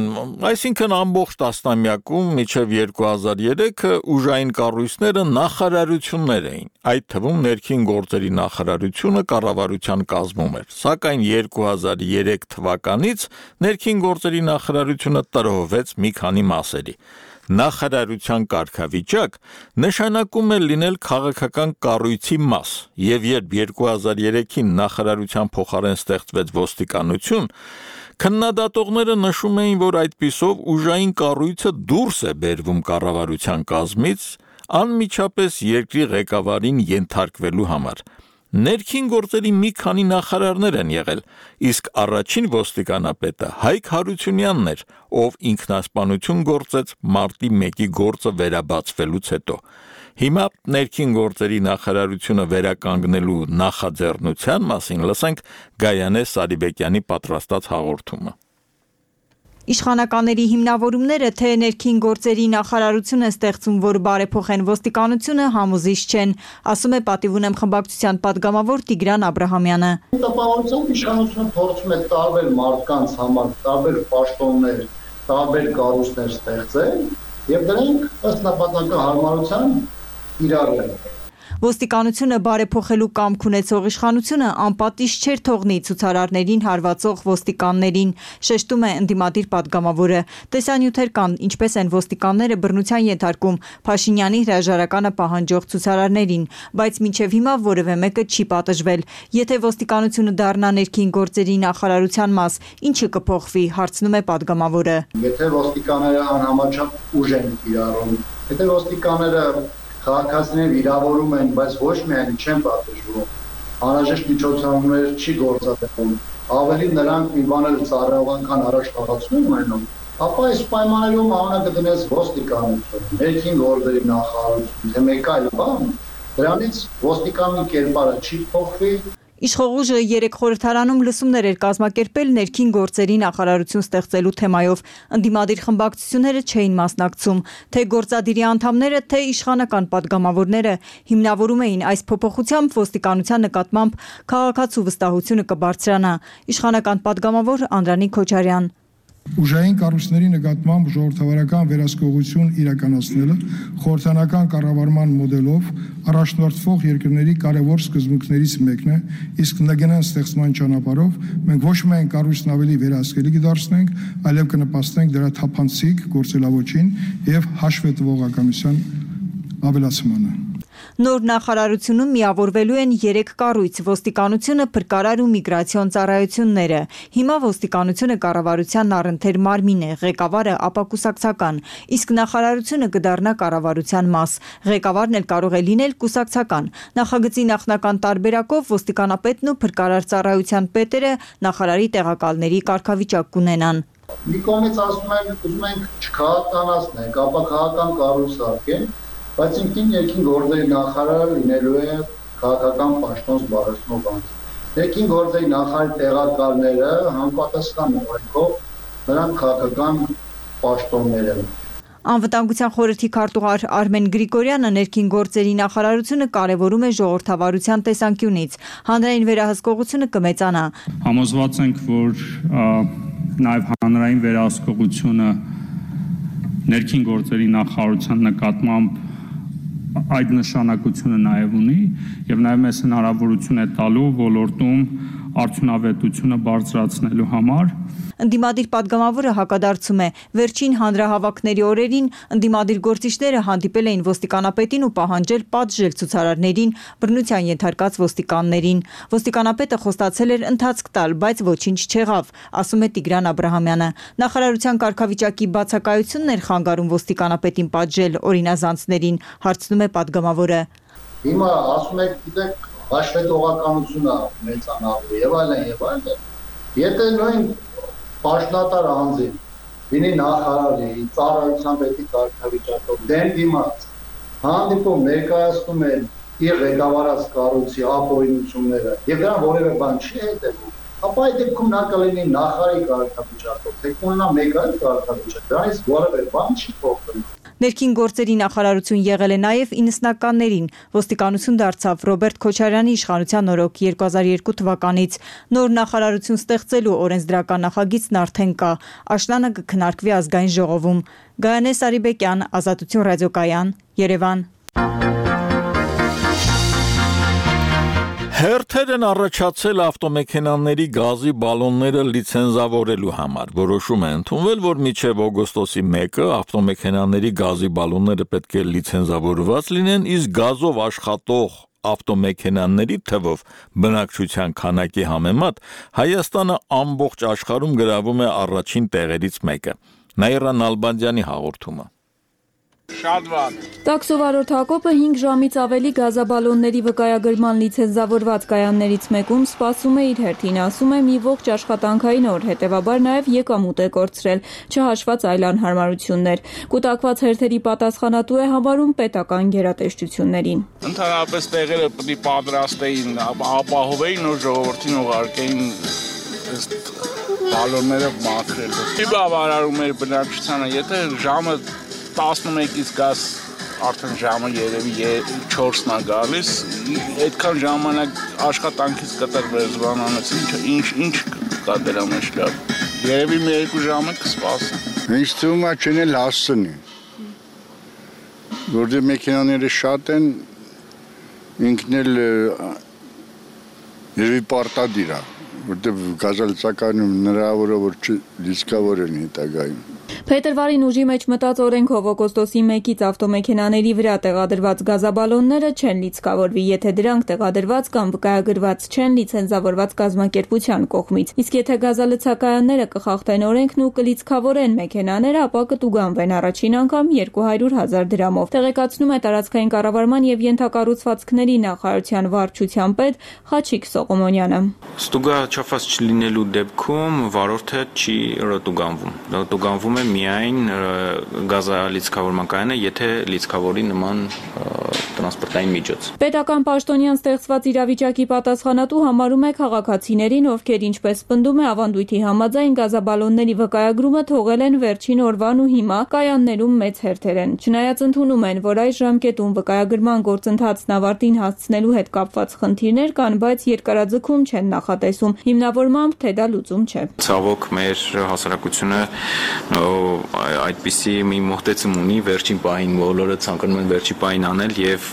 այսինքն ամբողջ տասնամյակում մինչև երկու հազար երեքը ուժային կառույցները նախարարություններ էին, այդ թվում ներքին գործերի նախարարությունը կառավարության կազմում էր, սակայն երկու հազար երեք թվականից ներքին գործերի նախարարությունը տրոհվեց մի քանի մասերի։ Նախարարության կարգավիճակ նշանակում է լինել քաղաքական կառույցի մաս, եւ երբ երկու հազար երեքին նախարարության փոխարեն ստեղծվեց ոստիկանություն, քննադատողները նշում էին, որ այդպիսով ուժային կառույցը դուրս է բերվում կառավարության կազմից, անմիջապես երկրի ղեկավարին ենթարկվելու համար։ Ներքին գործերի մի քանի նախարարներ են եղել, իսկ առաջին ոստիկանապետը Հայկ Հարությունյանն էր, ով ինքնասպանություն գործեց մարտի մեկի գործը վերաբացվելուց հետո։ Հիմա ներքին գործերի նախարարությունը վերականգնելու նախաձեռնության մասին լսենք Գայանե Սարիբեկյանի պատրաստած հաղորդումը։ Իշխանականների հիմնավորումները, թե ներքին գործերի նախարարությունը ստեղծում, որ բարեփոխեն ոստիկանությունը, համոզիչ չեն, ասում է Պատիվ ունեմ խմբակցության պատգամավոր Տիգրան Աբրահամյանը։ Տպավորությամբ իշխանությունը փորձում է տարբեր մարդկանց համար տարբեր պաշտոններ, տարբեր կառույցներ ստեղծել, եւ դրանք ըստ նպատակի հարմարության իրար են։ Ոստիկանությունը բարեփոխելու կամք ունեցող իշխանությունը անպատիժ չէր թողնի ցուցարարներին հարվածող ոստիկաններին, շեշտում է ընդդիմադիր պատգամավորը։ Տեսանյութեր կան, ինչպես են ոստիկանները բռնության ենթարկում Փաշինյանի հրաժարականը պահանջող ցուցարարներին, բայց մինչև հիմա որևէ մեկը չի պատժվել։ Եթե ոստիկանությունը դառնա ներքին գործերի նախարարության մաս, ինչը կփոխվի, հարցնում է պատգամավորը։ Եթե ոստիկանները անհամաչափ ուժ են կիրառում, եթե ոստիկանները քաղաքացիները վիրավորում են, բայց ոչ միայն չեն պատժվում, անհրաժեշտ միջոցառումներ չի գործադրվում, ավելի նրանք մի բան էլ ծառայողական առաջխաղացում ունենում, ապա այս պայմաններում անունը կդնես ոստիկանություն, ներքին գործերի նախարարություն, թե մեկ այլ բան, դրանից ոստիկանի կերպարը չի փոխվի։ Իշխող ուժը երեք խորհրդարանում լսումներ էր կազմակերպել ներքին գործերի նախարարություն ստեղծելու թեմայով, ընդդիմադիր խմբակցությունները չէին մասնակցում, թե գործադիրի անդամները, թե իշխանական պատգամավորները հիմնավորում էին այս փոփոխությամբ ոստիկանության նկատմամբ քաղաքացու վստահությունը կբարձրանա։ Իշխանական պատգամավոր Անդրանիկ Քոչարյան։ Ուժային կառույցների նկատմամբ ժողովրդավարական վերահսկողություն իրականացնելը խորհրդանական կառավարման մոդելով առաջնորդվող երկրների կարևոր սկզբունքներից մեկն է, իսկ նգնան ստեղծման ճանապարհով մենք ոչ միայն կառույցն ավելի վերահսկելի կդարձնենք, այլև կնպաստենք դրա թափանցիկ գործելավոճին եւ հաշվետվողականության ավելացմանը։ Նոր նախարարությունում միավորվելու են երեք կառույց՝ ոստիկանությունը, փրկարար ու միգրացիոն ծառայությունները։ Հիմա ոստիկանությունը կառավարության առընթեր մարմին է, ղեկավարը ապակուսակցական, իսկ նախարարությունը կդառնա կառավարության մաս։ Ղեկավարն էլ կարող է լինել կուսակցական։ Նախագծի նախնական տարբերակով ոստիկանապետն ու փրկարար ծառայության պետերը նախարարի տեղակալների կարգավիճակ կունենան։ Մի կողմից ասում են, ուզում ենք չքաղաքականացնենք, ապա քաղաքական կառույց արկենք, բայց ինքնին ներքին գործերի նախարարը լինելու է քաղաքական պաշտոն զբաղեցնող անձ։ Ներքին գործերի նախարարի տեղակալները համապատասխան օրենքով նրանք քաղաքական պաշտոններ են։ Անվտանգության խորհրդի քարտուղար Արմեն Գրիգորյանը ներքին գործերի նախարարությունը կարևորում է ժողովրդավարության տեսանկյունից։ Հանրային վերահսկողությունը կմեծանա։ Համոզված ենք, որ նաև հանրային վերահսկողությունը ներքին գործերի նախարարության նկատմամբ այդ նշանակությունը նաև ունի եւ նաև մեզ հնարավորություն է տալու ոլորտում արդյունավետությունը բարձրացնելու համար։ Ընդդիմադիր պատգամավորը հակադարձում է, վերջին հանրահավաքների օրերին ընդդիմադիր գործիչները հանդիպել էին ոստիկանապետին ու պահանջել պատժել ցուցարարներին, բռնության ենթարկած ոստիկաններին։ Ոստիկանապետը խոստացել էր ընթացք տալ, բայց ոչինչ չեղավ, ասում է Տիգրան Աբրահամյանը։ Նախարարության կարգավիճակի բացակայությունն էր խանգարում ոստիկանապետին պատժել օրինազանցներին, հարցնում է պատգամավորը։ Հիմա ասում եք, գիտեք, հաշվետվողականությունը մեծանալու եւ այլն եւ այլն։ Եթե նույն պաշտոնատար անձին լինի նախարարի, ծառայության պետի կարգավիճակով դեմ դիմաց, հանդիպում ներկայացնում են իր ղեկավարած կառույցի ապօրինությունները եւ դրան որևէ բան չի հետեւում, ապա այդ դեպքում նա կլինի նախարարի կարգավիճակով, թե կունենա մեկ այլ կարգավիճակ, դրանից որևէ բան չի փոխվի։ Ներքին գործերի նախարարություն եղել է նաև իննսնականներին։ Ոստիկանություն դարձավ Ռոբերտ Քոչարյանի իշխանության օրոք երկու հազար երկու թվականից։ Նոր նախարարություն ստեղծելու օրենսդրական նախագիծն արդեն կա։ Աշնանը կքննարկվի ազգային ժողովում։ Գայանե Սարիբեկյան, Ազատություն ռադիոկայան, Երևան։ Հերթեր են առաջացել ավտոմեքենաների գազի բալոնները լիցենզավորելու համար։ Որոշում է ընդունվել, որ մինչև օգոստոսի մեկը ավտոմեքենաների գազի բալոնները պետք է լիցենզավորված լինեն, իսկ գազով աշխատող ավտոմեքենաների թվով բնակչության քանակի համեմատ Հայաստանը ամբողջ աշխարհում գրավում է առաջին տեղերից մեկը։ Նաիրա Նալբանդյանի հաղորդումը։ Շատ վատ։ Տաքսովարորդ Հակոբը հինգ ժամից ավելի գազաբալոնների վկայագրման լիցենզավորված կայաններից մեկում սպասում է իր հերթին, ասում է մի ողջ աշխատանքային օր, հետևաբար նաև եկամուտ է կորցրել, չհաշված այլ անհարմարություններ։ Կուտակված հերթերի պատասխանատու է համարում պետական գերատեսչություններին։ Ընդհանրապես տեղերը պետք է պատրաստեին, ապահովեին ու ժողովրդին ուղարկեին բալոնները մաքրելու։ Չի բավարարում էր բնակչությանը, եթե ժամը տասնմեկից գազ արդեն ժամը երևի չորսն է գալիս, այդքան ժամանակ աշխատանքից կտրվեց զբաղանից, ինչ ինչ կա դրա մեջ լավ։ Երևի մի երկու ժամը կսպասի։ Ինձ թվում է չնել հասցնի։ Որտեղ մեքենաները շատ են, ինքն էլ երևի պարտադիր է, որտեղ գազալցականում հնարավոր է որ չլիցքավորեն հետագայում։ Փետրվարին ուժի մեջ մտած օրենքով օգոստոսի մեկից ավտոմեքենաների վրա տեղադրված գազաբալոնները չեն լիցքավորվի, եթե դրանք տեղադրված կամ վկայագրված չեն լիցենզավորված կազմակերպության կողմից։ Իսկ եթե գազալցակայանները կխախտեն օրենքն ու կլիցքավորեն մեքենաները, ապա կտուգանվեն առաջին անգամ երկու հարյուր հազար դրամով։ Տեղեկացնում է տարածքային կառավարման եւ ենթակառուցվածքների նախարարության վարչության պետ Խաչիկ Սողոմոնյանը։ Ստուգա չափած չլինելու դեպքում վարորդը չի ռոտուգանվում։ Ռոտուգանվում է միայն գազալիցքավորման կայանը, եթե լիցքավորի նման տրանսպորտային միջոց։ Պետական պաշտոնյան ստեղծված իրավիճակի պատասխանատու համարում է քաղաքացիներին, ովքեր ինչպես պնդում է ավանդույթի համաձայն գազաբալոնների վկայագրումը թողել են վերջին օրվան ու հիմա կայաններում մեծ հերթեր են։ Չնայած ընդունում են, որ այս ժամկետում վկայագրման գործընթացն ավարտին հասցնելու հետ կապված խնդիրներ կան, բայց երկարաձգում չեն նախատեսում, հիմնավորմամբ թե դա լուծում չէ։ Ցավոք մեր հասարակությունը այդպիսի մի մոտեցում ունի վերջին պահին բոլորը ցանկանում են վերջի պահին անել եւ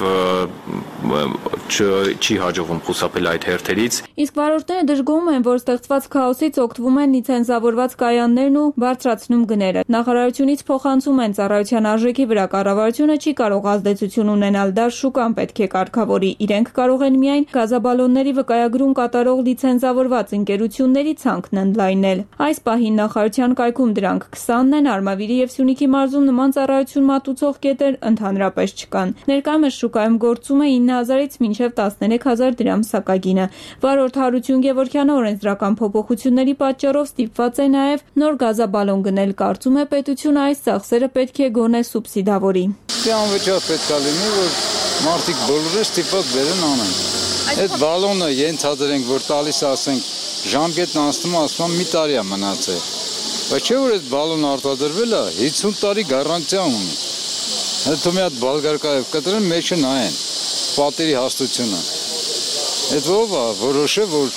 չի հաջողվում խուսափել այդ հերթերից։ Իսկ վարորդները դժգոհում են, որ ստեղծված քաոսից օգտվում են լիցենզավորված կայաններն ու բարձրացնում գները։ Նախարարությունից փոխանցում են ծառայության արժեքի վրա կառավարությունը չի կարող ազդեցություն ունենալ, դա շուկան պետք է կարգավորի։ Իրենք կարող են միայն գազաբալոնների վկայագրում կատարող լիցենզավորված ընկերությունների ցանկն ընդլայնել։ Այս պահին նախարարության կայքում դրանք քսանն են, Արմավիրի եւ Սյունիքի մարզում նման ծառայություն մատուցող կետեր ընդհանրապես չկան։ Ներկայումս շուկայում գործում է ինը հազարից մինչև տասներեք հազար դրամ սակագինը։ Վարորդ Հարություն Գևորգյանը օրենսդրական փոփոխությունների պատճառով ստիպված է նաև նոր գազաբալոն գնել, կարծում է պետությունը այս ծախսերը պետք է գոնե սուբսիդավորի։ Դե անվճար պետք է լինի, որ մարդիկ բոլորը ստիպված բերեն անեն։ Այդ բալոնը ենթադրենք, որ տալիս ասենք ժամկետն անցնում ասում մի տարի է մնացել։ Բայց չէ որ այդ բալոնը արտադրվել է հիսուն տարի գարանտիա ունի։ Հետո մի հատ բալգարկայով կտրեն մեջը նայեն պատերի հաստությունը։ Այդ ով է որոշը որ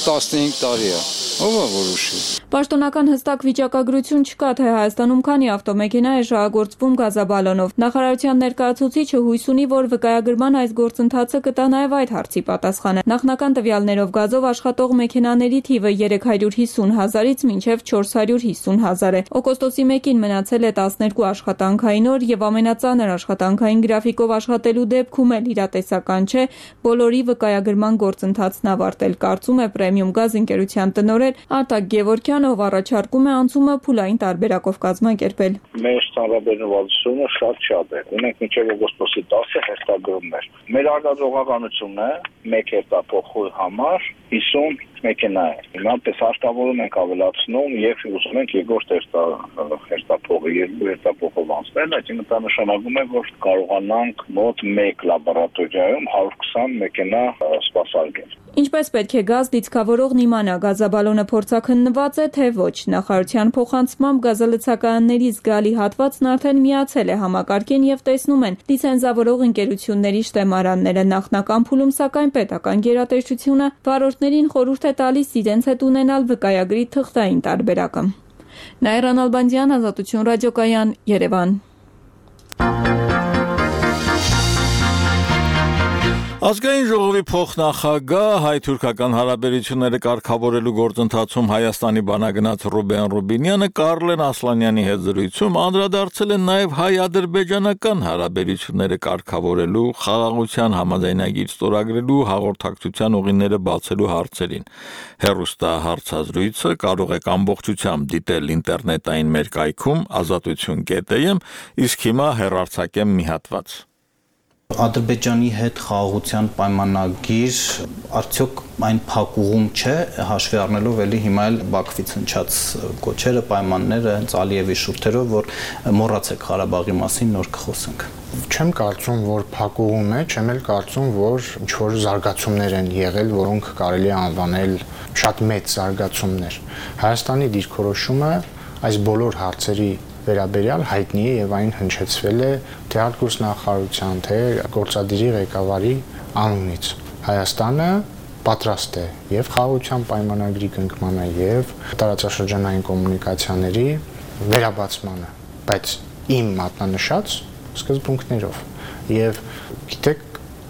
տասնհինգ տարի է։ Ով է որոշի։ Պաշտոնական հստակ վիճակագրություն չկա, թե Հայաստանում քանի ավտոմեքենա է շահագործվում գազաբալոնով։ Նախարարության ներկայացուցիչը հույս ունի, որ վկայագրման այս գործընթացը կտա նաև այդ հարցի պատասխանը։ Նախնական տվյալներով գազով աշխատող մեքենաների թիվը երեք հարյուր հիսուն հազարից մինչև չորս հարյուր հիսուն հազար է։ Օգոստոսի մեկին մնացել է տասներկու աշխատանքային օր եւ ամենածանր աշխատանքային գրաֆիկով աշխատելու դեպքում էլ իրատեսական չէ բոլորի վկայագրման գործընթացն ավարտել, կարծում է Պրեմիում գազ ընկերության տնօրեն Արտակ Գևորգյանը, ով առաջարկում է անցումը փուլային տարբերակով կազմակերպել։ Մեր ստանդարտությունը շատ շատ է։ Ունենք մինչև օգոստոսի տասը հերթագրումներ։ Մեր արտադրողականությունը մեկ հերթափոխու համար հիսուն մեքենա է։ Հիմա պես հարկավորում ենք ավելացնում եւ ուզում ենք երկրորդ հերթափողը երկու հերթափողով անցնել, այսինքն դա նշանակում է, որ կարողանանք մոտ մեկ լաբորատորիայում հարյուր քսան մեքենա սպասարկել։ Ինչպես պետք է գազ դիցքավորողն իմանա, գազաբալոնը փորձաքննված է, թե ոչ։ Նախարարության փոխանցմամբ գազալցակայանների զգալի հատվածն արդեն միացել է համակարգին եւ տեսնում են լիցենզավորող ընկերությունների շտեմարանները։ Նախնական փուլում, սակայն պետական գերատեսչությունը վարորդներին խորհուրդ է տալիս իրենց հետ ունենալ վկայագրի թղթային տարբերակը։ Նաիրա Նալբանդյան, Ազատություն ռադիոկայան, Երևան։ Ազգային ժողովի փոխնախագահ հայ-թուրքական հարաբերությունները կարգավորելու գործընթացում Հայաստանի բանագնաց Ռուբեն Ռուբինյանը Կարլեն Ասլանյանի հետ զրույցում անդրադարձել է նաև հայ-ադրբեջանական հարաբերությունները կարգավորելու, խաղաղության համաձայնագիր ստորագրելու, հաղորդակցության ուղիները բացելու հարցերին։ Հեռուստահարցազրույցը կարող եք ամբողջությամբ դիտել ինտերնետային մեր կայքում ազատություն կետ է, իսկ հիմա հեռարձակեմ մի հատված։ Ադրբեջանի հետ խաղաղության պայմանագիր արդյոք այն փակուղում չէ, հաշվի առնելով էլի հիմա էլ Բաքվից հնչած կոչերը, պայմանները, հենց Ալիևի շուրթերով, որ մոռացեք Ղարաբաղի մասին, նոր կխոսենք։ Չեմ կարծում, որ փակուղում է, չեմ էլ կարծում, որ ինչ-որ զարգացումներ են եղել, որոնք կարելի է անվանել շատ մեծ զարգացումներ։ Հայաստանի դիրքորոշումը այս բոլոր հարցերի վերաբերյալ հայտնի է եւ այն հնչեցվել է թե արտգործնախարարության, թե գործադիրի ղեկավարի անունից։ Հայաստանը պատրաստ է եւ խաղաղության պայմանագրի կնքմանը եւ տարածաշրջանային կոմունիկացիաների վերաբացմանը, բայց իմ մատնանշած սկզբունքներով։ Եվ գիտեք,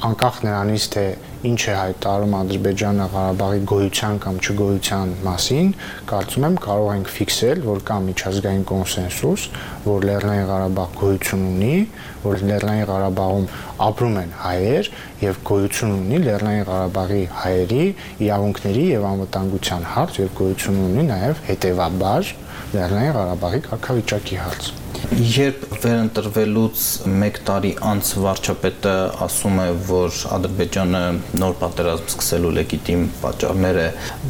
անկախ նրանից թե ինչ է հայտարարում Ադրբեջանը Ղարաբաղի գոյության կամ չգոյության մասին, կարծում եմ կարող ենք ֆիքսել, որ կա միջազգային կոնսենսուս, որ Լեռնային Ղարաբաղ գոյություն ունի, որ Լեռնային Ղարաբաղում ապրում են հայեր եւ գոյություն ունի Լեռնային Ղարաբաղի հայերի իրավունքների եւ անվտանգության հարց եւ գոյություն ունի նաեւ հետեւաբար Լեռնային Ղարաբաղի կարգավիճակի հարց։ Երբ վերընտրվելուց մեկ տարի անց վարչապետը ասում է, որ Ադրբեջանը նոր պատերազմ սկսելու լեգիտիմ պատճառներ է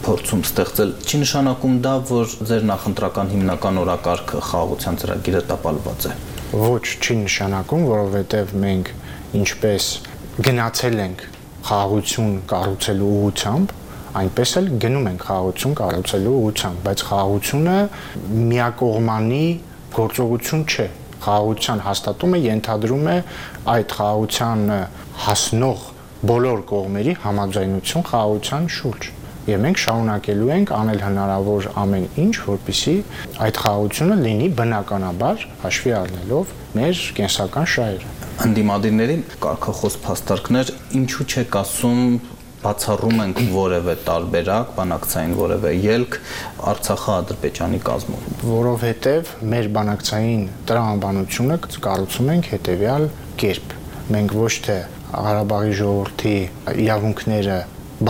փորձում ստեղծել, չի նշանակում դա, որ ձեր նախընտրական հիմնական օրակարգը խաղաղության ծրագիրը տապալված է։ Ոչ, չի նշանակում, որովհետև մենք ինչպես գնացել ենք խաղաղություն կառուցելու ուղղությամբ, այնպես էլ գնում ենք խաղաղություն կառուցելու ուղղությամբ, բայց խաղաղությունը միակողմանի գործողություն չէ։ Խաղաղության հաստատումը ենթադրում է այդ խաղաղությանը հասնող բոլոր կողմերի համաձայնություն խաղաղության շուրջ։ Եվ մենք շարունակելու ենք անել հնարավոր ամեն ինչ, որպեսզի այդ խաղաղությունը լինի բնականաբար հաշվի առնելով մեր կենսական շահերը։ Անդիմադիրների կարգախոս փաստարկներ, ինչու չեք ասում բացառում ենք որևէ տարբերակ, բանակցային որևէ ելք Արցախը Ադրբեջանի կազմում։ Որովհետև մեր բանակցային տրամաբանությունը կառուցում ենք հետևյալ կերպ։ Մենք ոչ թե Ղարաբաղի ժողովրդի իրավունքները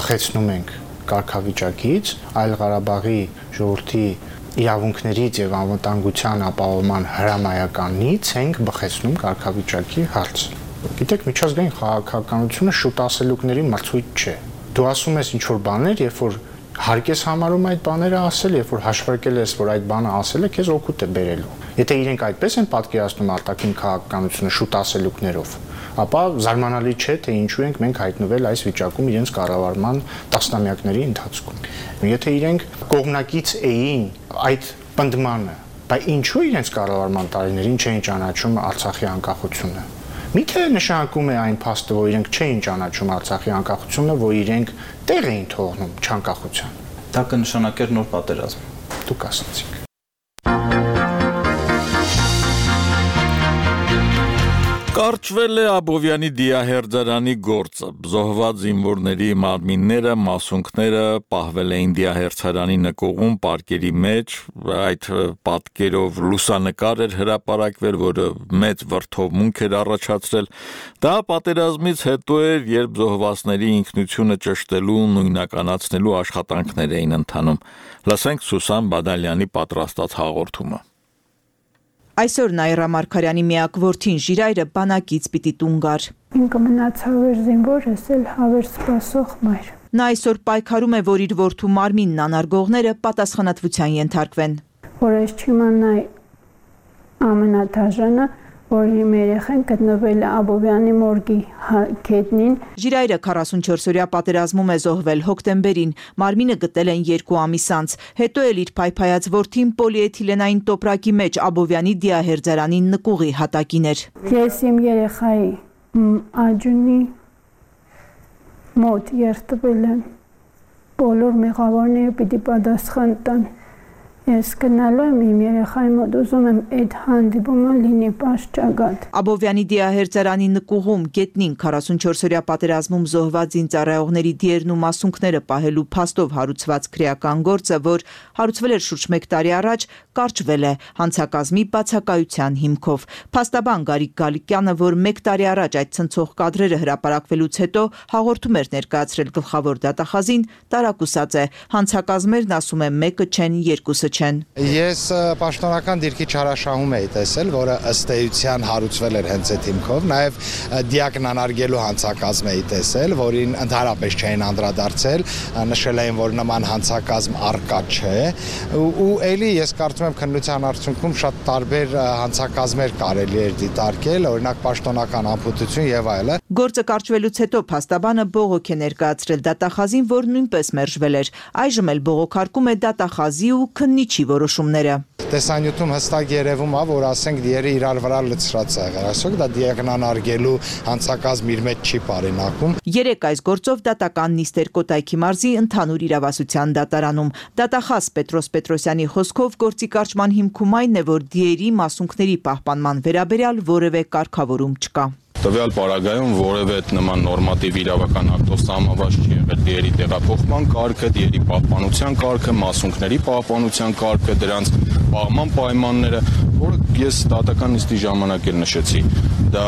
բխեցնում ենք կարգավիճակից, այլ Ղարաբաղի ժողովրդի իրավունքներից եւ անվտանգության ապահովման հրամայականից ենք բխեցնում կարգավիճակի հարց։ Գիտեք, միջազգային քաղաքականությունը շուտ ասելուկների մրցույթ չէ։ Դու ասում ես ինչ-որ բաներ, երբ որ հարկ ես համարում այդ բաները ասել, երբ որ հաշվարկել ես, որ այդ բանը ասել է, քեզ օգուտ է բերելու։ Եթե իրենք այդպես են պատկերացնում արտաքին քաղաքականությունը շուտ ասելուկներով, ապա զարմանալի չէ, թե ինչու ենք մենք հայտնվել այս վիճակում իրենց կառավարման տասնամյակների ընթացքում։ Եթե իրենք կողմնակից էին այդ պնդմանը, բայց ինչու իրենց կառավարման տարիներին չէին ճանաչում Արցախի անկախությունը։ Միթե նշանակում է այն փաստը, որ իրենք չէին ճանաչում Արցախի անկախությունը, որ իրենք տեղ էին թողնում չանկախության։ Դա կնշանակեր նոր պատերազմ։ Դուք ասացիք։ Կարճվել է Աբովյանի դիահերձարանի գործը։ Զոհված զինվորների մարմինները, մասունքները պահվել էին դիահերձարանի նկուղում պարկերի մեջ, այդ պատկերով լուսանկար էր հրապարակվել, որը մեծ վրդովմունք էր առաջացրել։ Դա պատերազմից հետո էր, երբ զոհվածների ինքնությունը ճշտելու, նույնականացնելու աշխատանքներ էին ընթանում։ Լսենք Սուսան Բադալյանի պատրաստած հաղորդումը։ Այսօր Նաիրա Մարգարյանի միակ որդին Ժիրայրը բանակից պիտի տուն գար։ Ինքը մնաց հավեր զինվոր, ես էլ հավեր սպասող մայր։ Նա այսօր պայքարում է, որ իր որդու մարմինն անարգողները պատասխանատվության ենթարկվեն։ Որ ես չիմանայի ամենադաժանը, որ իմ երեխան գտնվել է Աբովյանի մորգի գետնին։ Ժիրայրը քառասունչորսօրյա պատերազմում է զոհվել հոկտեմբերին, մարմինը գտել են երկու ամիս անց, հետո էլ իր փայփայած որդին պոլիէթիլենային տոպրակի մեջ Աբովյանի դիահերձարանի նկուղի հատակին էր։ Ես իմ երեխայի աջունի մոտ երթվել եմ, բոլոր մեղավորները պիտի պատասխան տան։ Ես գնալու եմ իմ երեխայի մոտ, ուզում եմ այդ հանդիպումը լինի պաշճագատ։ Աբովյանի դիահերձարանի նկուղում գետնին քառասունչորսօրյա պատերազմում զոհված զինծառայողների դիերն ու մասունքները պահելու փաստով հարուցված քրեական գործը, որ հարուցվել էր շուրջ մեկ տարի առաջ, կարճվել է հանցակազմի բացակայության հիմքով։ Փաստաբան Գարիկ Գալիկյանը, որ մեկ տարի առաջ այդ ցնցող կադրերը հրապարակվելուց հետո հաղորդում էր ներկայացրել գլխավոր դատախազին, տարակուսած է։ Հանցակազմերն, ասում է, մեկը չեն, երկուսը չեն։ Ես պաշտոնական դիրքի չարաշահում էի տեսել, որը ըստ էության հարուցվել էր հենց այդ հիմքով, նաև դիակն անարգելու հանցակազմ էի տեսել, որին ընդհանրապես չէին անդրադարձել, նշել էին, որ նման հանցակազմ առկա չէ, ու էլի ես կարծում եմ քննության արդյունքում շատ տարբեր հանցակազմեր կարելի էր դիտարկել, օրինակ պաշտոնական անփութություն եւ այլն։ Գործը կարճվելուց հետո փաստաբանը բողոք է ներկայացրել դատախազին, որ նույնպես մերժվել էր։ Այժմ էլ բողոքարկում է դատախազի ու քննիչի որոշումները։ Տեսանյութում հստակ երևում է, որ ասենք դիերը իրար վրա լցրած է եղել, այսօք դա դիագնանարգելու հանցակազմ իր մեջ չի պարինակում։ Երեք այս գործով դատական նիստ էր Կոտայքի մարզի ընդհանուր իրավասության դատարանում։ Դատախազ Պետրոս Պետրոսյանի խոսքով գործի կարճման հիմքում այն է, որ դիերի մասունքների պահպանման վերաբերյալ որևէ կարգավորում չկա։ Տվյալ պարագայում որևէ նման նորմատիվ իրավական ակտով սահմանված չի եղել դիերի տեղափոխման կարգը, դիերի պահպանության կարգը, մասունքների պահպանության կարգը, դրանց պահման պայմանները, որը ես դատական նիստի ժամանակ էլ նշեցի։ Դա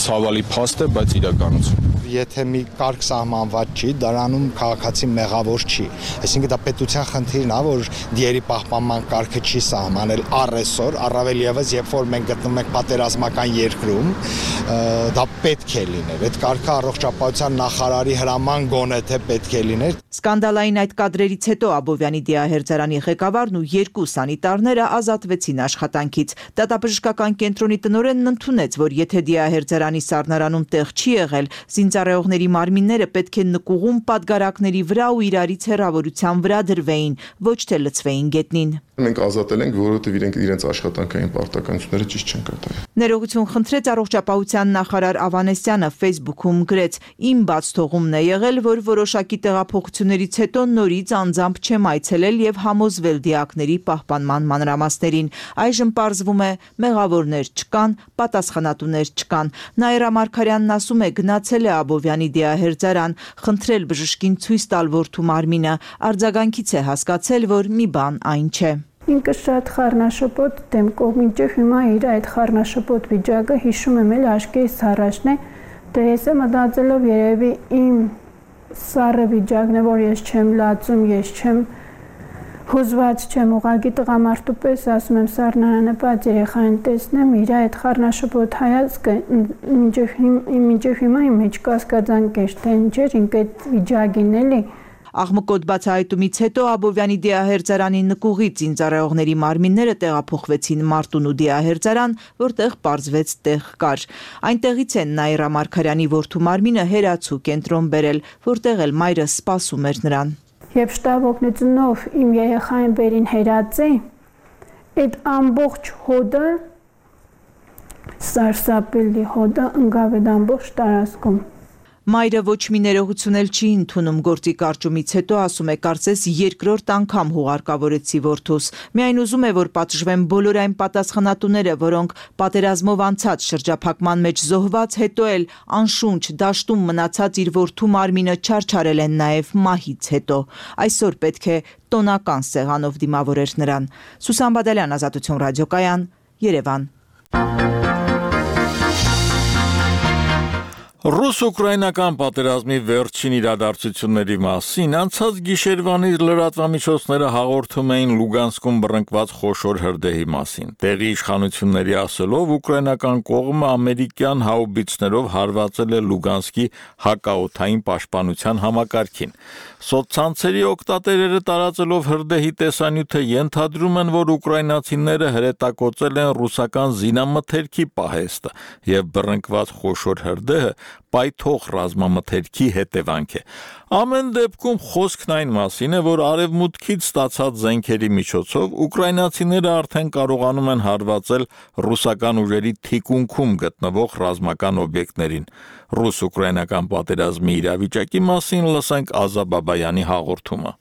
ցավալի փաստ է, բայց իրականություն։ Եթե մի կարգ սահմանված չի, դրանում քաղաքացի մեղավոր չի։ Այսինքն դա պետության խնդիրն է, որ դիերի պահպանման կարգը չի սահմանել առեսօր, առավել ևս երբ որ մենք գտնվում ենք պատերազմական երկրում, դա պետք է լիներ։ Այդ կարգը առողջապահության նախարարի հրաման գոնե թե պետք է լիներ։ Սկանդալային այդ կադրերից հետո Աբովյանի դիահերձարանի ղեկավարն ու երկու սանիտարները ազատվեցին աշխատանքից։ Դատաբժշկական կենտրոնի տնօրենն ընդունեց, որ եթե դիահերձարանի սառնարանում տեղ չի եղել, զինծառայողների մարմինները պետք է նկուղում պատգարակների վրա ու իրարից հեռավորության վրա դրվեին, ոչ թե լցվեին գետնին։ Մենք ազատել ենք, որովհետև իրենք իրենց աշխատանքային պարտականությունները ճիշտ չեն կատարել։ Ներողություն խնդրեց առողջապահության նախարար Ավանեսյանը Facebook-ում գրեց. «Իմ բաց թողումն է եղել, որ որոշակի տեղափոխություններից հետո նորից անձամբ չեմ այցելել եւ համոզվել դիակների պահպանման մանրամասներին։ Այժմ պարզվում է, մեղավորներ չկան, պատասխանատուներ չկան»։ Նաիրա Մարգարյանն ասում է, գնացել է Աբովյանի դիահերձարան, խնդրել բժշկին ցույց տալ որդու մարմինը, արձագանքից է հասկացել, որ մի բան այն չէ։ Ինքը շատ խառնաշփոթ դեմքով, մինչև հիմա իր այդ խառնաշփոթ վիճակը հիշում եմ էլ աչքերից առաջն է, դե ես եմ մտածելով երևի իմ սառը վիճակն է, որ ես չեմ լացում, ես չեմ հուզված չեմ, ուղղակի տղամարդու պես ասում եմ սառնարանը բաց երեխային տեսնեմ, իր այդ խառնաշփոթ հայացքը մինչև հիմա իմ մեջ կասկածանք էր, թե ինչ էր ինքը այդ վիճակին էլի։ Աղմկոտ բացահայտումից հետո Աբովյանի դիահերձարանի նկուղից զինծառայողների մարմինները տեղափոխվեցին Մարտունու դիահերձարան, որտեղ պարզվեց տեղ կար։ Այնտեղից են Նաիրա Մարգարյանի որդու մարմինը հերացու կենտրոն բերել, որտեղ էլ մայրը սպասում էր նրան։ Երբ շտապ օգնությունով իմ երեխային բերին հերացի, այդ ամբողջ հոդը, սարսափելի հոդը ընկավ այդ ամբողջ տարածքում։ Մայրը ոչ մի ներողություն էլ չի ընդունում գործի կարճումից հետո, ասում է, կարծես երկրորդ անգամ հուղարկավորեցի որդուս։ Միայն ուզում է, որ պատժվեն բոլոր այն պատասխանատուները, որոնք պատերազմով անցած շրջափակման մեջ զոհված, հետո էլ անշունչ դաշտում մնացած իր որդու մարմինը չարչարել են նաև մահից հետո։ Այսօր պետք է տոնական սեղանով դիմավորեր նրան։ Սուսան Բադալյան, Ազատություն ռադիոկայան, Երևան։ Ռուս-ուկրաինական պատերազմի վերջին իրադարձությունների մասին անցած գիշերվանից լրատվամիջոցները հաղորդում էին Լուգանսկում բռնկված խոշոր հրդեհի մասին։ Տեղի իշխանությունների ասելով ուկրաինական կողմը ամերիկյան հաուբիցներով հարվածել է Լուգանսկի հակաօդային պաշտպանության համակարգին։ Սոցցանցերի օգտատերերը տարածելով հրդեհի տեսանյութը ենթադրում են, որ ուկրաինացիները հրետակոծել են ռուսական զինամթերքի պահեստը եւ բռնկված խոշոր հրդեհը պայթող ռազմամթերքի հետևանք է։ Ամեն դեպքում խոսքն այն մասին է, որ արևմուտքից ստացած զենքերի միջոցով ուկրաինացիները արդեն կարողանում են հարվածել ռուսական ուժերի թիկունքում գտնվող ռազմական օբյեկտներին։ Ռուս-ուկրաինական պատերազմի իրավիճակի մասին լսենք Ազա Բաբայանի հաղորդումը։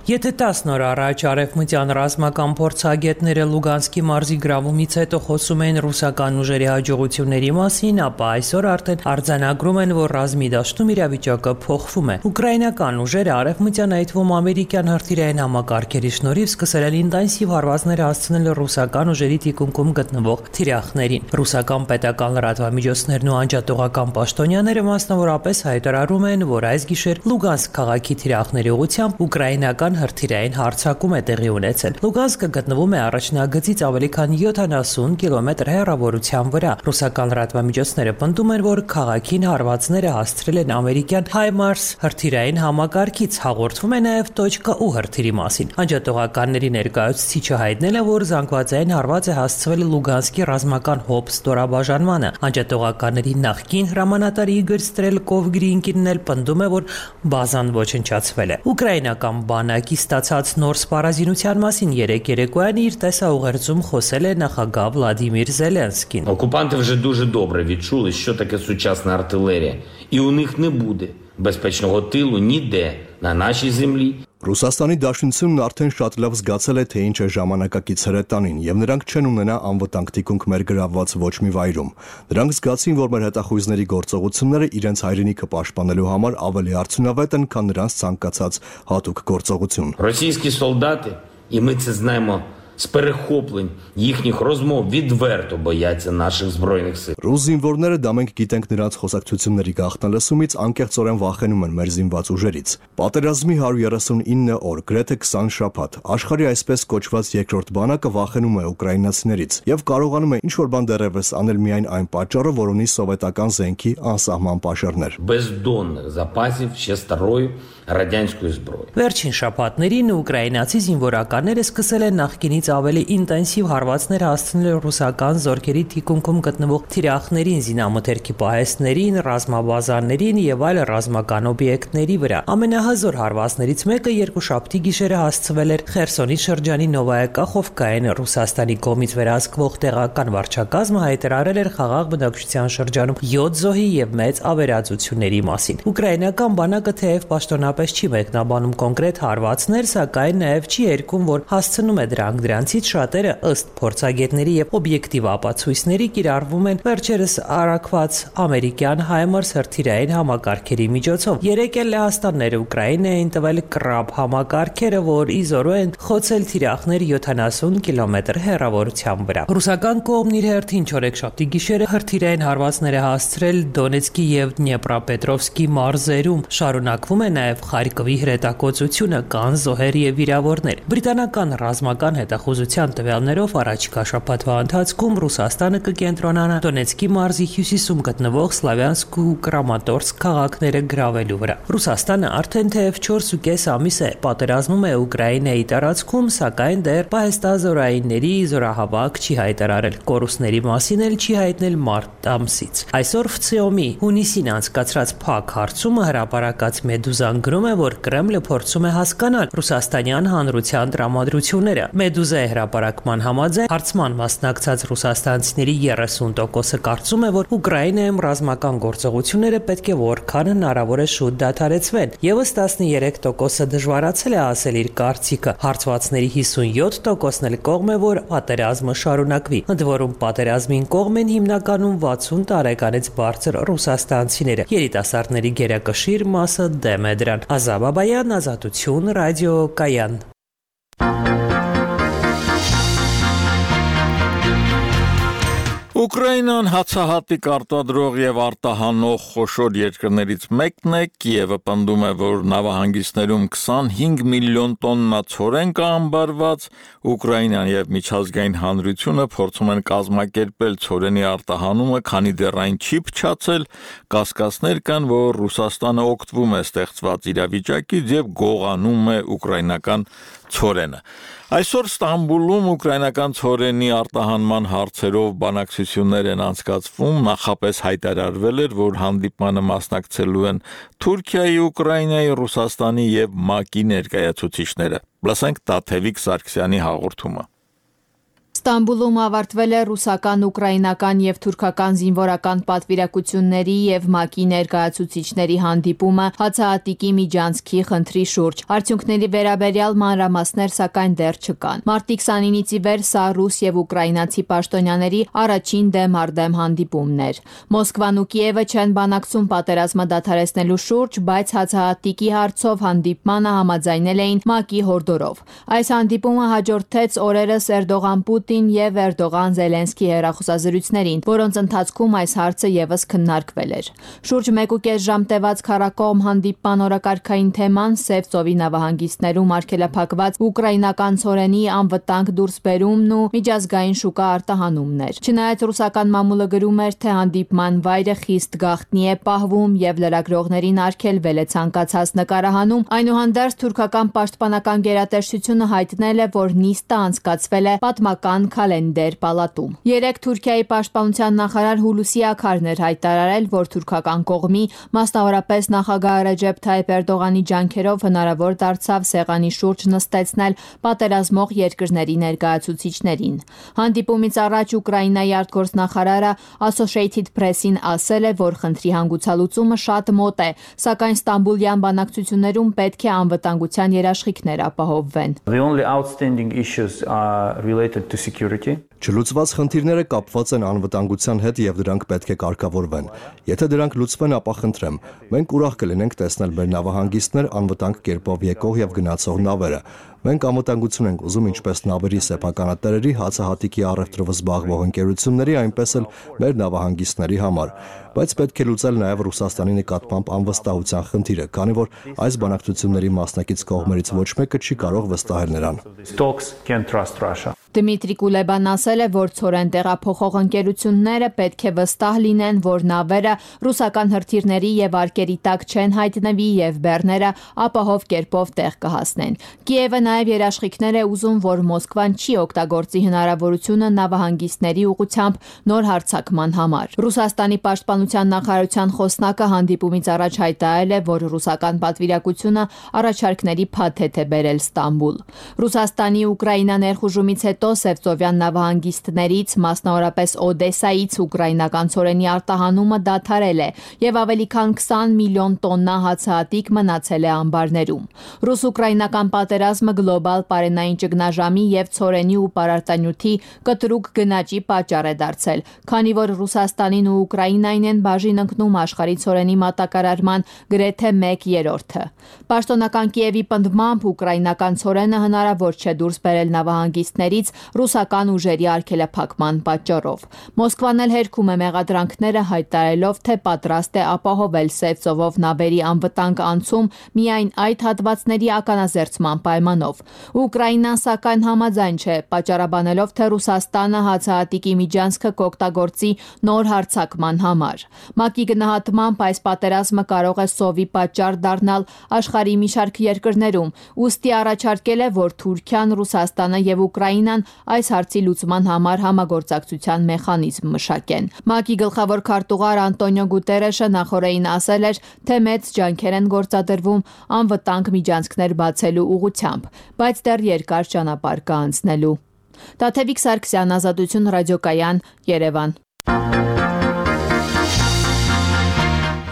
Եթե տասն օր առաջ արևմտյան ռազմական փորձագետները Լուգանսկի մարզի գրավումից հետո խոսում էին ռուսական ուժերի հաջողությունների մասին, ապա այսօր արդեն արձանագրում են, որ ռազմի դաշտում իրավիճակը փոխվում է։ Ուկրաինական ուժերը արևմտյան, այդ թվում ամերիկյան հրթիռային համակարգերի շնորհիվ սկսել են ինտենսիվ հարվածներ հասցնել ռուսական ուժերի թիկունքում գտնվող թիրախներին։ Ռուսական պետական լրատվամիջոցներն ու անջատողական պաշտոնյաները մասնավորապես հայտարարում են, որ այս գիշեր Լուգանսկ քաղաքի թիրախների ուղղությամբ ուկրաինական հրթիռային հարձակում է տեղի ունեցել։ Լուգանսկը գտնվում է առաջնագծից ավելի քան յոթանասուն կիլոմետր հեռավորության վրա։ Ռուսական լրատվամիջոցները պնդում են, որ քաղաքին հարվածները հասցրել են ամերիկյան Հայմարս հրթիռային համակարգից։ Հաղորդվում է նաև .ու հրթիռի մասին։ Անջատողականների ներկայացուցիչը հայտնել է, որ զանգվածային հարված է հասցվել Լուգանսկի ռազմական հոբ ստորաբաժանմանը։ Անջատողականների նախկին հրամանատար Իգոր Ստրելկովի ընկերն էլ պնդում է, որ բազան ոչնչացվել է։ Ուկրաինական բանակի ստացած նոր սպառազինության մասին երեկ երեկոյան իր տեսաուղերձում խոսել է նախագահ Վլադիմիր Зеленський. Окупанти вже дуже добре відчули, що таке сучасна артилерія, і у них не буде безпечного тилу ніде на нашій землі. Ռուսաստանի Դաշնությունն արդեն շատ լավ զգացել է, թե ինչ է ժամանակակից հրետանին, եւ նրանք չեն ունենա անվտանգ թիկունք մեր գրավված ոչ մի վայրում։ Նրանք զգացին, որ մեր հետախույզների գործողությունները իրենց հայրենիքը պաշտպանելու համար ավելի արդյունավետ են, քան նրանց ցանկացած հատուկ գործողություն։ Російські солдати, і ми це знаємо з перехоплень їхніх розмов відверто бояться наших збройних сил. Ռուս զինվորները դա մենք գիտենք նրանց խոսակցությունների գաղտնալսումից անկեղծորեն վախենում են մեր զինված ուժերից։ Պատերազմի հարյուր երեսունինը օր, գրեթե քսան շաբաթ, աշխարհի այսպես կոչված երկրորդ բանակը вախենում է ուկրաինացիներից եւ կարողանում է ինչ-որ բան դեռևս անել միայն այն պատճառով, որ ունի սովետական զենքի անսահման պաշարներ։ Бездонних запасів ще старої радянської зброї. Վերջին շաբաթներին ուկրաինացի զինվորականները սկսել են նախկինից ավելի ինտենսիվ հարվածներ հասցնել ռուսական զորքերի թիկունքում գտնվող թիրախներին, զինամթերքի պահեստներին, ռազմաբազաներին եւ այլ ռազմական օբյեկտների վրա։ Ամենահզոր հարվածներից մեկը երկուշաբթի գիշերը հասցվել էր Խերսոնի շրջանի Նովայա Կախովկային։ Ռուսաստանի կողմից վերահսկվող տեղական վարչակազմը հայտարարել էր խաղաղ բնակչության շրջանում յոթ զոհի եւ մեծ ավերածությունների մասին։ Ուկրաինական բանակը թեև պաշտոնապես չի մեկնաբանում կոնկրետ հարվածներ, սակայն նաեւ չի երգում, որ հասցնում է դրանք։ Դրանցից շատերը ըստ փորձագետների եւ օբյեկտիվ ապացույցների կիրառվում են վերջերս արակված ամերիկյան Հայմարս հրթիռային համակարգերի միջոցով։ Երեք էլ Լեհաստանները Ուկրաինային տվել կրաբ համակարգերը, որ իզորու են խոցել թիրախներ յոթանասուն կիլոմետր հեռավորության վրա։ Ռուսական կողմն իր հերթին չորեքշաբթի գիշերը հրթիռային հարվածներ է հասցրել Դոնեցկի եւ Դնեպրապետրովսկի մարզերում։ Շարունակվում է նաեւ Խարկովի հրետակոծությունը, կան զոհեր եւ վիրավորներ։ Բրիտանական ռազմական հետախուզության տվյալներով առաջիկա շաբաթվա ընթացքում Ռուսաստանը կկենտրոնանա Դոնեցկի մարզի հյուսիսում գտնվող Սլավյանսկ ու Կրամատորսկ քաղաքները գրավելու վրա։ Ռուսաստանը արդեն թեև չորս ու կես ամիս է պատերազմում է Ուկրաինայի տարածքում, սակայն դեռ պահեստազորայինների զորահավաք չի հայտարարել։ Կորուստների մասին էլ չի հայտնել մարտ ամսից։ Այսօր ֆցիոմի հունիսին անցկացրած փակ հարցումը հրապարակած Մեդուզան գրում է, որ Կրեմլը փորձում է հասկանալ ռուսաստանյան հանրության տրամադրությունները։ Մեդուզայի հրապարակման համաձայն հարցման մասնակցած ռուսաստանցիների երեսուն տոկոսը կարծում է, որ Ուկրաինայում ռազմական գործողությունները պետք է որքան հնարավոր է շուտ դադարեցվեն, եւս տասներեք տոկոսը դժվարացել է ասել իր կարծիքը։ Հարցվածների հիսունյոթ տոկոսն էլ կողմ է, որ պատերազմը շարունակվի։ Ընդ որում պատերազմին կողմ են հիմնականում վաթսուն տարեկանից բարձր ռուսաստանցիները։ Երիտասարդների գերակշիռ մասը դեմ է դրան։ Ազա Բաբայան, Ազատություն, Ռադիո Կայան։ Ուկրաինան հացահատիկ արտադրող եւ արտահանող խոշոր երկրներից մեկն է, Կիևը պնդում է, որ նավահանգիստներում քսանհինգ միլիոն տոննա ցորեն կա ամբարված, Ուկրաինան եւ միջազգային հանրությունը փորձում են կազմակերպել ցորենի արտահանումը, քանի դեռ այն չի փչացել, կասկածներ կան, որ Ռուսաստանը օգտվում է ստեղծված իրավիճակից եւ գողանում է ուկրաինական ցորենը։ Այսօր Ստամբուլում ուկրաինական ցորենի արտահանման հարցերով բանակցություններ են անցկացվում, նախապես հայտարարվել էր, որ հանդիպմանը մասնակցելու են Թուրքիայի, Ուկրաինայի, Ռուսաստանի եւ ՄԱԿ-ի ներկայացուցիչները։ Լսենք Տաթևիկ Սարգսյանի հաղորդումը։ Ստամբուլում ավարտվել է ռուսական, ուկրաինական եւ թուրքական զինվորական պատվիրակությունների եւ ՄԱԿ-ի ներկայացուցիչների հանդիպումը հացահատիկի միջանցքի խնդրի շուրջ։ Արդյունքների վերաբերյալ մանրամասներ սակայն դեռ չկան։ Մարտի քսանինից ի վեր սա ռուս եւ ուկրաինացի պաշտոնյաների առաջին դեմ առ դեմ հանդիպումն էր։ Մոսկվան ու Կիևը չեն բանակցում պատերազմը դադարեցնելու շուրջ, բայց հացահատիկի հարցով հանդիպմանը համաձայնել էին ՄԱԿ-ի հորդորով։ Այս հանդիպումը հաջորդեց օրերս Էրդողան եւ Էրդողան-Զելենսկի հեռախոսազրույցներին, որոնց ընթացքում այս հարցը եւս քննարկվել էր։ Շուրջ մեկ ու կես ժամ տևած քառակողմ հանդիպման օրակարգային թեման Սև ծովի նավահանգիստներում արգելափակված ուկրաինական ցորենի անվտանգ դուրսբերումն ու միջազգային շուկա արտահանումն էր։ Չնայած ռուսական մամուլը գրում էր, թե հանդիպման վայրը խիստ գաղտնի է պահվում եւ լրագրողներին արգելվել է ցանկացած նկարահանում, այնուհանդերձ թուրքական պաշտպանական գերատեսչությունը հայտնել է, որ նիստը անցկացվել է պատմական քալենդեր պալատում։ Երեկ Թուրքիայի պաշտպանության նախարար Հուլուսի Աքարն էր հայտարարել, որ թուրքական կողմի, մասնավորապես նախագահ Ռեջեփ Թայիփ Էրդողանի ջանքերով հնարավոր դարձավ սեղանի շուրջ նստեցնել պատերազմող երկրների ներկայացուցիչներին։ Հանդիպումից առաջ Ուկրաինայի արտգործնախարարը Associated Press-ին ասել է, որ խնդրի հանգուցալուծումը շատ մոտ է, սակայն Ստամբուլյան բանակցություններում պետք է անվտանգության երաշխիքներ ապահովվեն։ The only outstanding issues are related to security. Չլուծված խնդիրները կապված են անվտանգության հետ եւ դրանք պետք է կարգավորվեն։ Եթե դրանք լուծվեն, ապա խնդրեմ, մենք ուրախ կլինենք տեսնել մեր նավահանգիստներ անվտանգ կերպով եկող եւ գնացող նավերը։ Մենք անվտանգություն ենք ուզում ինչպես նավերի սեփականատերերի, հացահատիկի առևտրով զբաղվող ընկերությունների, այնպես էլ մեր նավահանգիստների համար, բայց պետք է լուծել նաեւ Ռուսաստանի նկատմամբ անվստահության խնդիրը, քանի որ այս բանակցությունների մասնակից կողմերից ոչ մեկը չի կարող վստահել նրան։ Դմիտրի Կուլեբան ասել է, որ ցորեն տեղափոխող ընկերությունները պետք է վստահ լինեն, որ նավերը ռուսական հրթիռների եւ արկերի տակ չեն հայտնվի եւ բեռները ապահով կերպով տեղ կհասնեն։ Կիևը նաեւ երաշխիքներ է ուզում, որ Մոսկվան չի օգտագործի հնարավորությունը նավահանգիստների ուղղությամբ նոր հարձակման համար։ Ռուսաստանի պաշտպանության նախարարության խոսնակը հանդիպումից առաջ հայտարարել է, որ ռուսական պատվիրակությունը առաջարկների փաթեթ է բերել Ստամբուլ։ Ռուսաստանի Ուկրաինա ներխուժումից հետո Սևծովյան նավահանգիստներից, մասնավորապես Օդեսայից ուկրաինական ցորենի արտահանումը դադարել է եւ ավելի քան քսան միլիոն տոննա հացահատիկ մնացել է ամբարներում։ Ռուս-ուկրաինական պատերազմը գլոբալ պարենային ճգնաժամի եւ ցորենի ու պարարտանյութի կտրուկ գնաճի պատճառ է դարձել, քանի որ Ռուսաստանին ու Ուկրաինային են բաժին ընկնում աշխարհի ցորենի մատակարարման գրեթե մեկ երրորդը։ Պաշտոնական Կիևի պնդմամբ ուկրաինական ցորենը հնարավոր չէ դուրս բերել նավահանգիստներից ռուսական ուժերի արգելափակման պատճառով։ Մոսկվան էլ հերքում է մեղադրանքները հայտարարելով, թե պատրաստ է ապահովել Սև ծովով նավերի անվտանգ անցում միայն այդ հատվածների ականազերծման պայմանով։ Ուկրաինան սակայն համաձայն չէ, պատճառաբանելով, թե Ռուսաստանը հացահատիկի միջանցքը կօգտագործի նոր հարձակման համար։ ՄԱԿ-ի գնահատմամբ այս պատերազմը կարող է սովի պատճառ դառնալ աշխարհի մի շարք երկրներում, ուստի առաջարկել է, որ Թուրքիան, Ռուսաստանը եւ Ուկրաինան այս հարցի լուծման համար համագործակցության մեխանիզմ մշակեն։ ՄԱԿ-ի գլխավոր քարտուղար Անտոնիո Գուտերեշը նախորդին ասել էր, թե մեծ ջանքեր են գործադրվում անվտանգ միջանցքներ բացելու ուղղությամբ, բայց դեռ երկար ճանապարհ կա անցնելու։ Տաթևիկ Սարգսյան, Ազատություն ռադիոկայան, Երևան։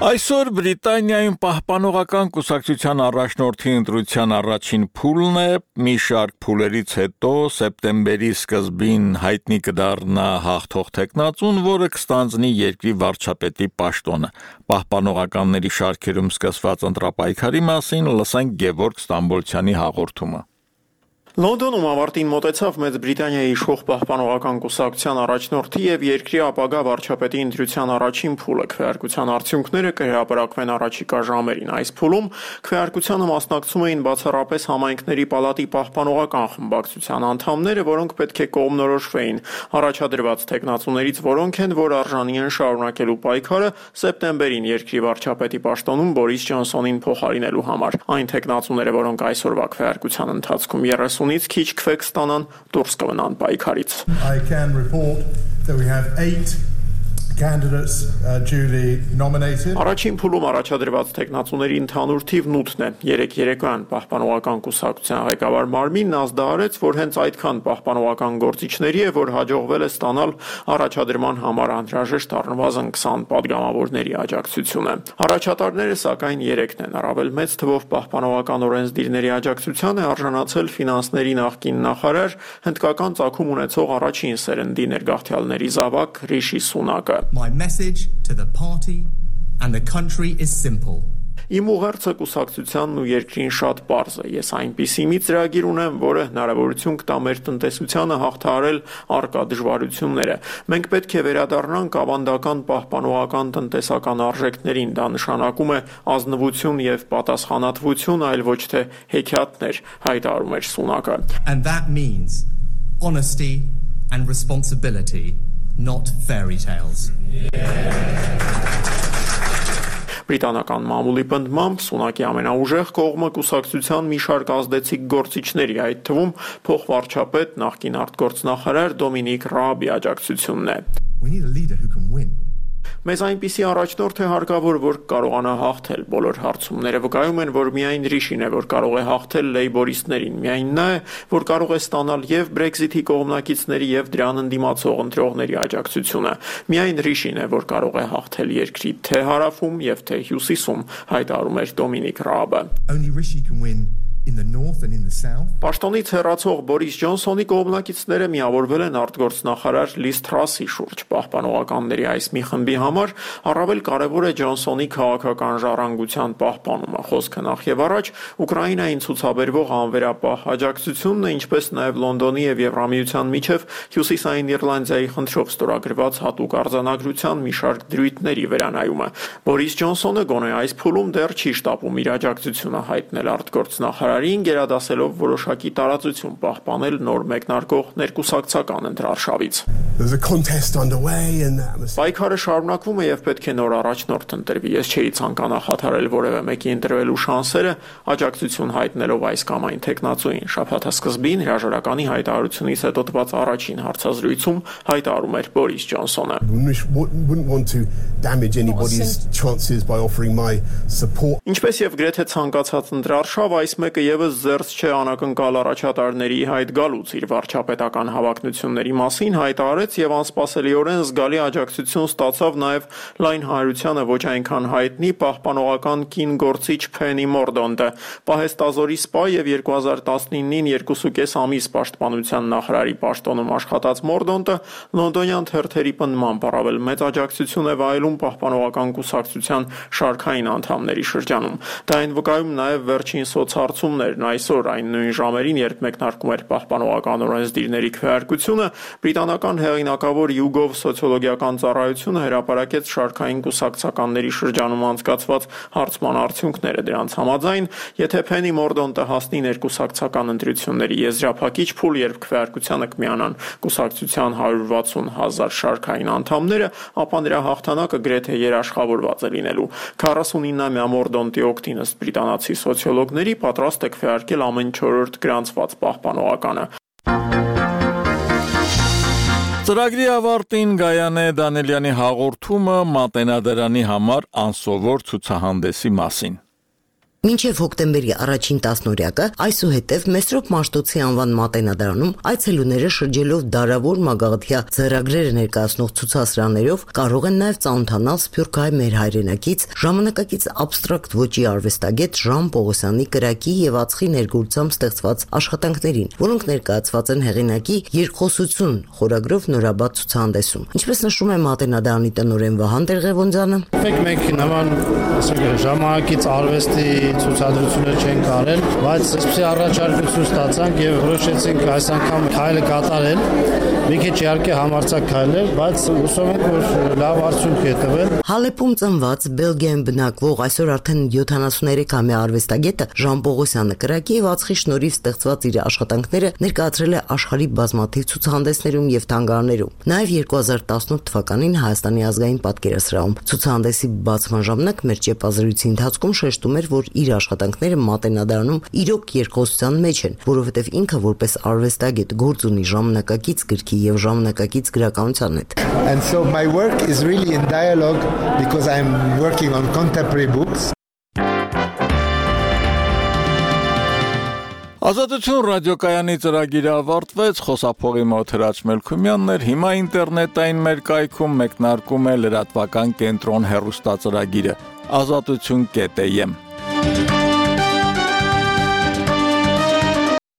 Այսօր Բրիտանիայում պահպանողական կուսակցության առաջնորդի ընտրության առաջին փուլն է, մի շարք փուլերից հետո սեպտեմբերի սկզբին հայտնի կդառնա հաղթող թեկնածուն, որը կստանձնի երկրի վարչապետի պաշտոնը։ Պահպանողականների շարքերում սկսված ընտրապայքարի մասին լսենք Գևորգ Ստամբոլցյանի հաղորդումը։ Լոնդոնում ավարտին մոտեցավ Մեծ Բրիտանիայի իշխող պահպանողական կուսակցության առաջնորդի եւ երկրի ապագա վարչապետի ընտրության առաջին փուլը։ Քվեարկության արդյունքները կհրապարակվեն առաջիկա ժամերին։ Այս փուլում քվեարկությանը մասնակցում էին բացառապես համայնքների պալատի պահպանողական խմբակցության անդամները, որոնք պետք է կողմնորոշվեին առաջադրված թեկնածուներից, որոնք են, որ արժանի են շարունակելու պայքարը սեպտեմբերին երկրի վարչապետի պաշտոնում Բորիս Ջոնսոնին փոխարինելու համար։ Այն թեկնածուները, որոնք այսօրվա քվեարկության ընթացքում երեսունից քիչ քվե կստանան, դուրս կմնան պայքարից։ I can report that we have eight candidates uh, duly nominated. Առաջին փուլում առաջադրված տեխնացուների ընդհանուր թիվն ութն է։ Երեք երեկոյան պահպանողական կուսակցության ղեկավար Մարմինն ազդարարեց, որ հենց այդքան պահպանողական գործիչների է, որ հաջողվել է ստանալ առաջադրման համար անհրաժեշտ առնվազն քսան պատգամավորների աջակցությունը։ Առաջատարները սակայն երեքն են, առավել մեծ թվով պահպանողական օրենսդիրների աջակցության է արժանացել ֆինանսների նախկին նախարար, հնդկական ծագում ունեցող առաջին սերնդի ներգաղթյալների զավակ Ռիշի Սունակը։ My message to the party and the country is simple. Իմ ուղերձը կուսակցությանն ու երկրին շատ պարզ է։ Ես այնպիսի մի ծրագիր ունեմ, որը հնարավորություն կտա մեր տնտեսությանը հաղթահարել առկա դժվարությունները։ Մենք պետք է վերադառնանք ավանդական պահպանողական տնտեսական արժեքներին։ Դա նշանակում է ազնվություն եւ պատասխանատվություն, այլ ոչ թե հեքիաթներ, հայտարարում էր Սունակը։ And that means honesty and responsibility. Not fairy tales. Բրիտանական մամուլի պնդմամբ Սունակի ամենաուժեղ կողմը կուսակցության մի շարք ազդեցիկ գործիչների, այդ թվում փոխվարչապետ նախկին արտգործնախարար Դոմինիկ Ռաբի աջակցությունն է։ We need a leader who can win. Մեզ այնպիսի առաջնորդ է հարկավոր, որ կարողանա հաղթել բոլոր հարցումները վկայում են, որ միայն Ռիշին է, որ կարող է հաղթել լեյբորիստներին, միայն նա է, որ կարող է ստանալ եւ Brexit-ի կողմնակիցների եւ դրան ընդդիմացող ընտրողների աջակցությունը։ Միայն Ռիշին է, որ կարող է հաղթել երկրի թե հարավում եւ թե հյուսիսում, հայտարարում էր Դոմինիկ Ռաբը։ Only Rishi can win in the north and in the south. Պաշտոնից հեռացող Բորիս Ջոնսոնի կողմնակիցները միավորվել են արտգործնախարար Լիզ Թրասի շուրջ։ Պահպանողականների այս մի խմբի համար առավել կարևոր է Ջոնսոնի քաղաքական ժառանգության պահպանումը։ Խոսքը նախ եւ առաջ Ուկրաինային ցուցաբերվող անվերապահ աջակցությունն է, ինչպես նաեւ Լոնդոնի եւ Եվրամիության միջև Հյուսիսային Իռլանդիայի խնդրով ստորագրված հատուկ արձանագրության մի շարք դրույթների վերանայումը։ Բորիս Ջոնսոնը գոնե այս փուլում դեռ չի շտապում իր աջակցությունը հայտնել արտգործնախարարին, գերադասելով որոշակի տարածություն պահպանել նոր մեկնարկող ներկուսակցական ընտրարշավից։ Պայքարը շարունակվում է եւ պետք է նոր առաջնորդ ընտրվի։ Ես չէի ցանկանա խաթարել որևէ մեկի ընտրվելու շանսերը, աջակցություն հայտնելով այս կամ այն տեխնացուին։ Շաբաթասկզբին հրաժարականի հայտարարությունից հետո տված առաջին հարցազրույցում հայտարարում էր Բորիս Ջոնսոնը։ Ինչպես եւ գրեթե ցանկացած ընտրարշավ, այս մեկը եւս զերծ չէ անակնկալ առաջատարների հայտ գալուց։ Իր վարչապետական հավակնությունների մասին հայտարարեց եւ անսպասելիորեն զգալի աջակցություն ստացավ նաեւ լայն հանրությանը ոչ այնքան հայտնի պահպանողական կին գործիչ Փենի Մորդոնտը։ Պահեստազորի սպա եւ երկու հազար տասնինին երկուսուկես ամիս պաշտպանության նախարարի պաշտոնում աշխատած Մորդոնտը լոնդոնյան թերթերի պնդմամբ առավել մեծ աջակցություն է վայելում պահպանողական կուսակցության շարքային անդամների շրջանում։ Դա այն վկայում նաեւ վերջին սոցհարցումներն այսօր այն նույն ժամերին, երբ մեկնարկում էր պահպանողական օրենսդիրների քվեարկությունը, բրիտանական հեղինակավոր YouGov սոցիոլոգիական ծառայությունը հրապարակեց շարքային կուսակցականների շրջանում անցկացված հարցման արդյունքները։ Դրանց համաձայն, եթե Փենի Մորդոնտը հասնի ներկուսակցական ընտրությունների եզրափակիչ փուլ, երբ քվեարկությանը կմիանան կուսակցության հարյուր վաթսուն հազար շարքային անդամները, ապա նրա հաղթանակը գրեթե երաշխավորված է լինելու։ քառասունինամյա Մորդոնտի օգտին ըստ բրիտանացի սոցիոլոգների պատրաստ է քվեարկել ամեն չորրորդ գրանցված պահպանողականը։ Ծրագրի ավարտին Գայանե Դանելյանի հաղորդումը Մատենադարանի համար անսովոր ցուցահանդեսի մասին։ Մինչև հոկտեմբերի առաջին տասնօրյակը այսուհետև Մեսրոպ Մաշտոցի անվան Մատենադարանում այցելուները շրջելով դարավոր մագաղթյա ձեռագրերը ներկայացնող ցուցասրահներով կարող են նաև ծանոթանալ Սփյուռքահայ մեր հայրենակից ժամանակակից абստրակտ ոճի արվեստագետ Ժան Պողոսյանի կրակի եւ ածխի ներգործությամբ ստեղծված աշխատանքներին, որոնք ներկայացված են հեղինակի երկխոսություն խորագրով նորաբաց ցուցահանդեսում։ Ինչպես նշում է Մատենադարանի տնօրեն Վահան Տեր-Ղևոնդյանը, մենք նման, ասենք, ժամանակից արվեստի ցուցադրություններ չենք արել, բայց այսպեսի առաջարկություն ստացանք եւ որոշեցինք այս անգամ քայլը կատարել։ Մի քիչ իհարկե համարձակ քայլ էր, բայց հուսով ենք, որ լավ արդյունք է տվել։ Հալեպում ծնված Բելգիայում բնակվող այսօր արդեն յոթանասուներեք-ամյա արվեստագետը Ժան Պողոսյանը կրակի եւ ածխի շնորհիվ ստեղծված իր աշխատանքները ներկայացրել է աշխարհի բազմաթիվ ցուցահանդեսներում եւ թանգարաններում։ Նաեւ երկու հազար տասնութ թվականին Հայաստանի ազգային պատկերասրահում ցուցահանդեսի բացման ժամանակ մեր ճեպազրույցի ընթացքում շեշտում էր, որ իր աշխատանքները Մատենադարանում իրոք երկխոսության մեջ են, որովհետեւ ինքը որպես արվեստագետ գործ ունի ժամանակակից գրքի եւ ժամանակակից գրականության հետ։ And so my work is really in dialogue because I'm working on contemporary books. Ազատություն ռադիոկայանի ծրագիրը ավարտվեց, խոսափողի մոտ Հրաչ Մելքումյանն էր, հիմա ինտերնետային մեր կայքում մեկնարկում է լրատվական կենտրոն հեռուստածրագիրը ազատություն կետ եմ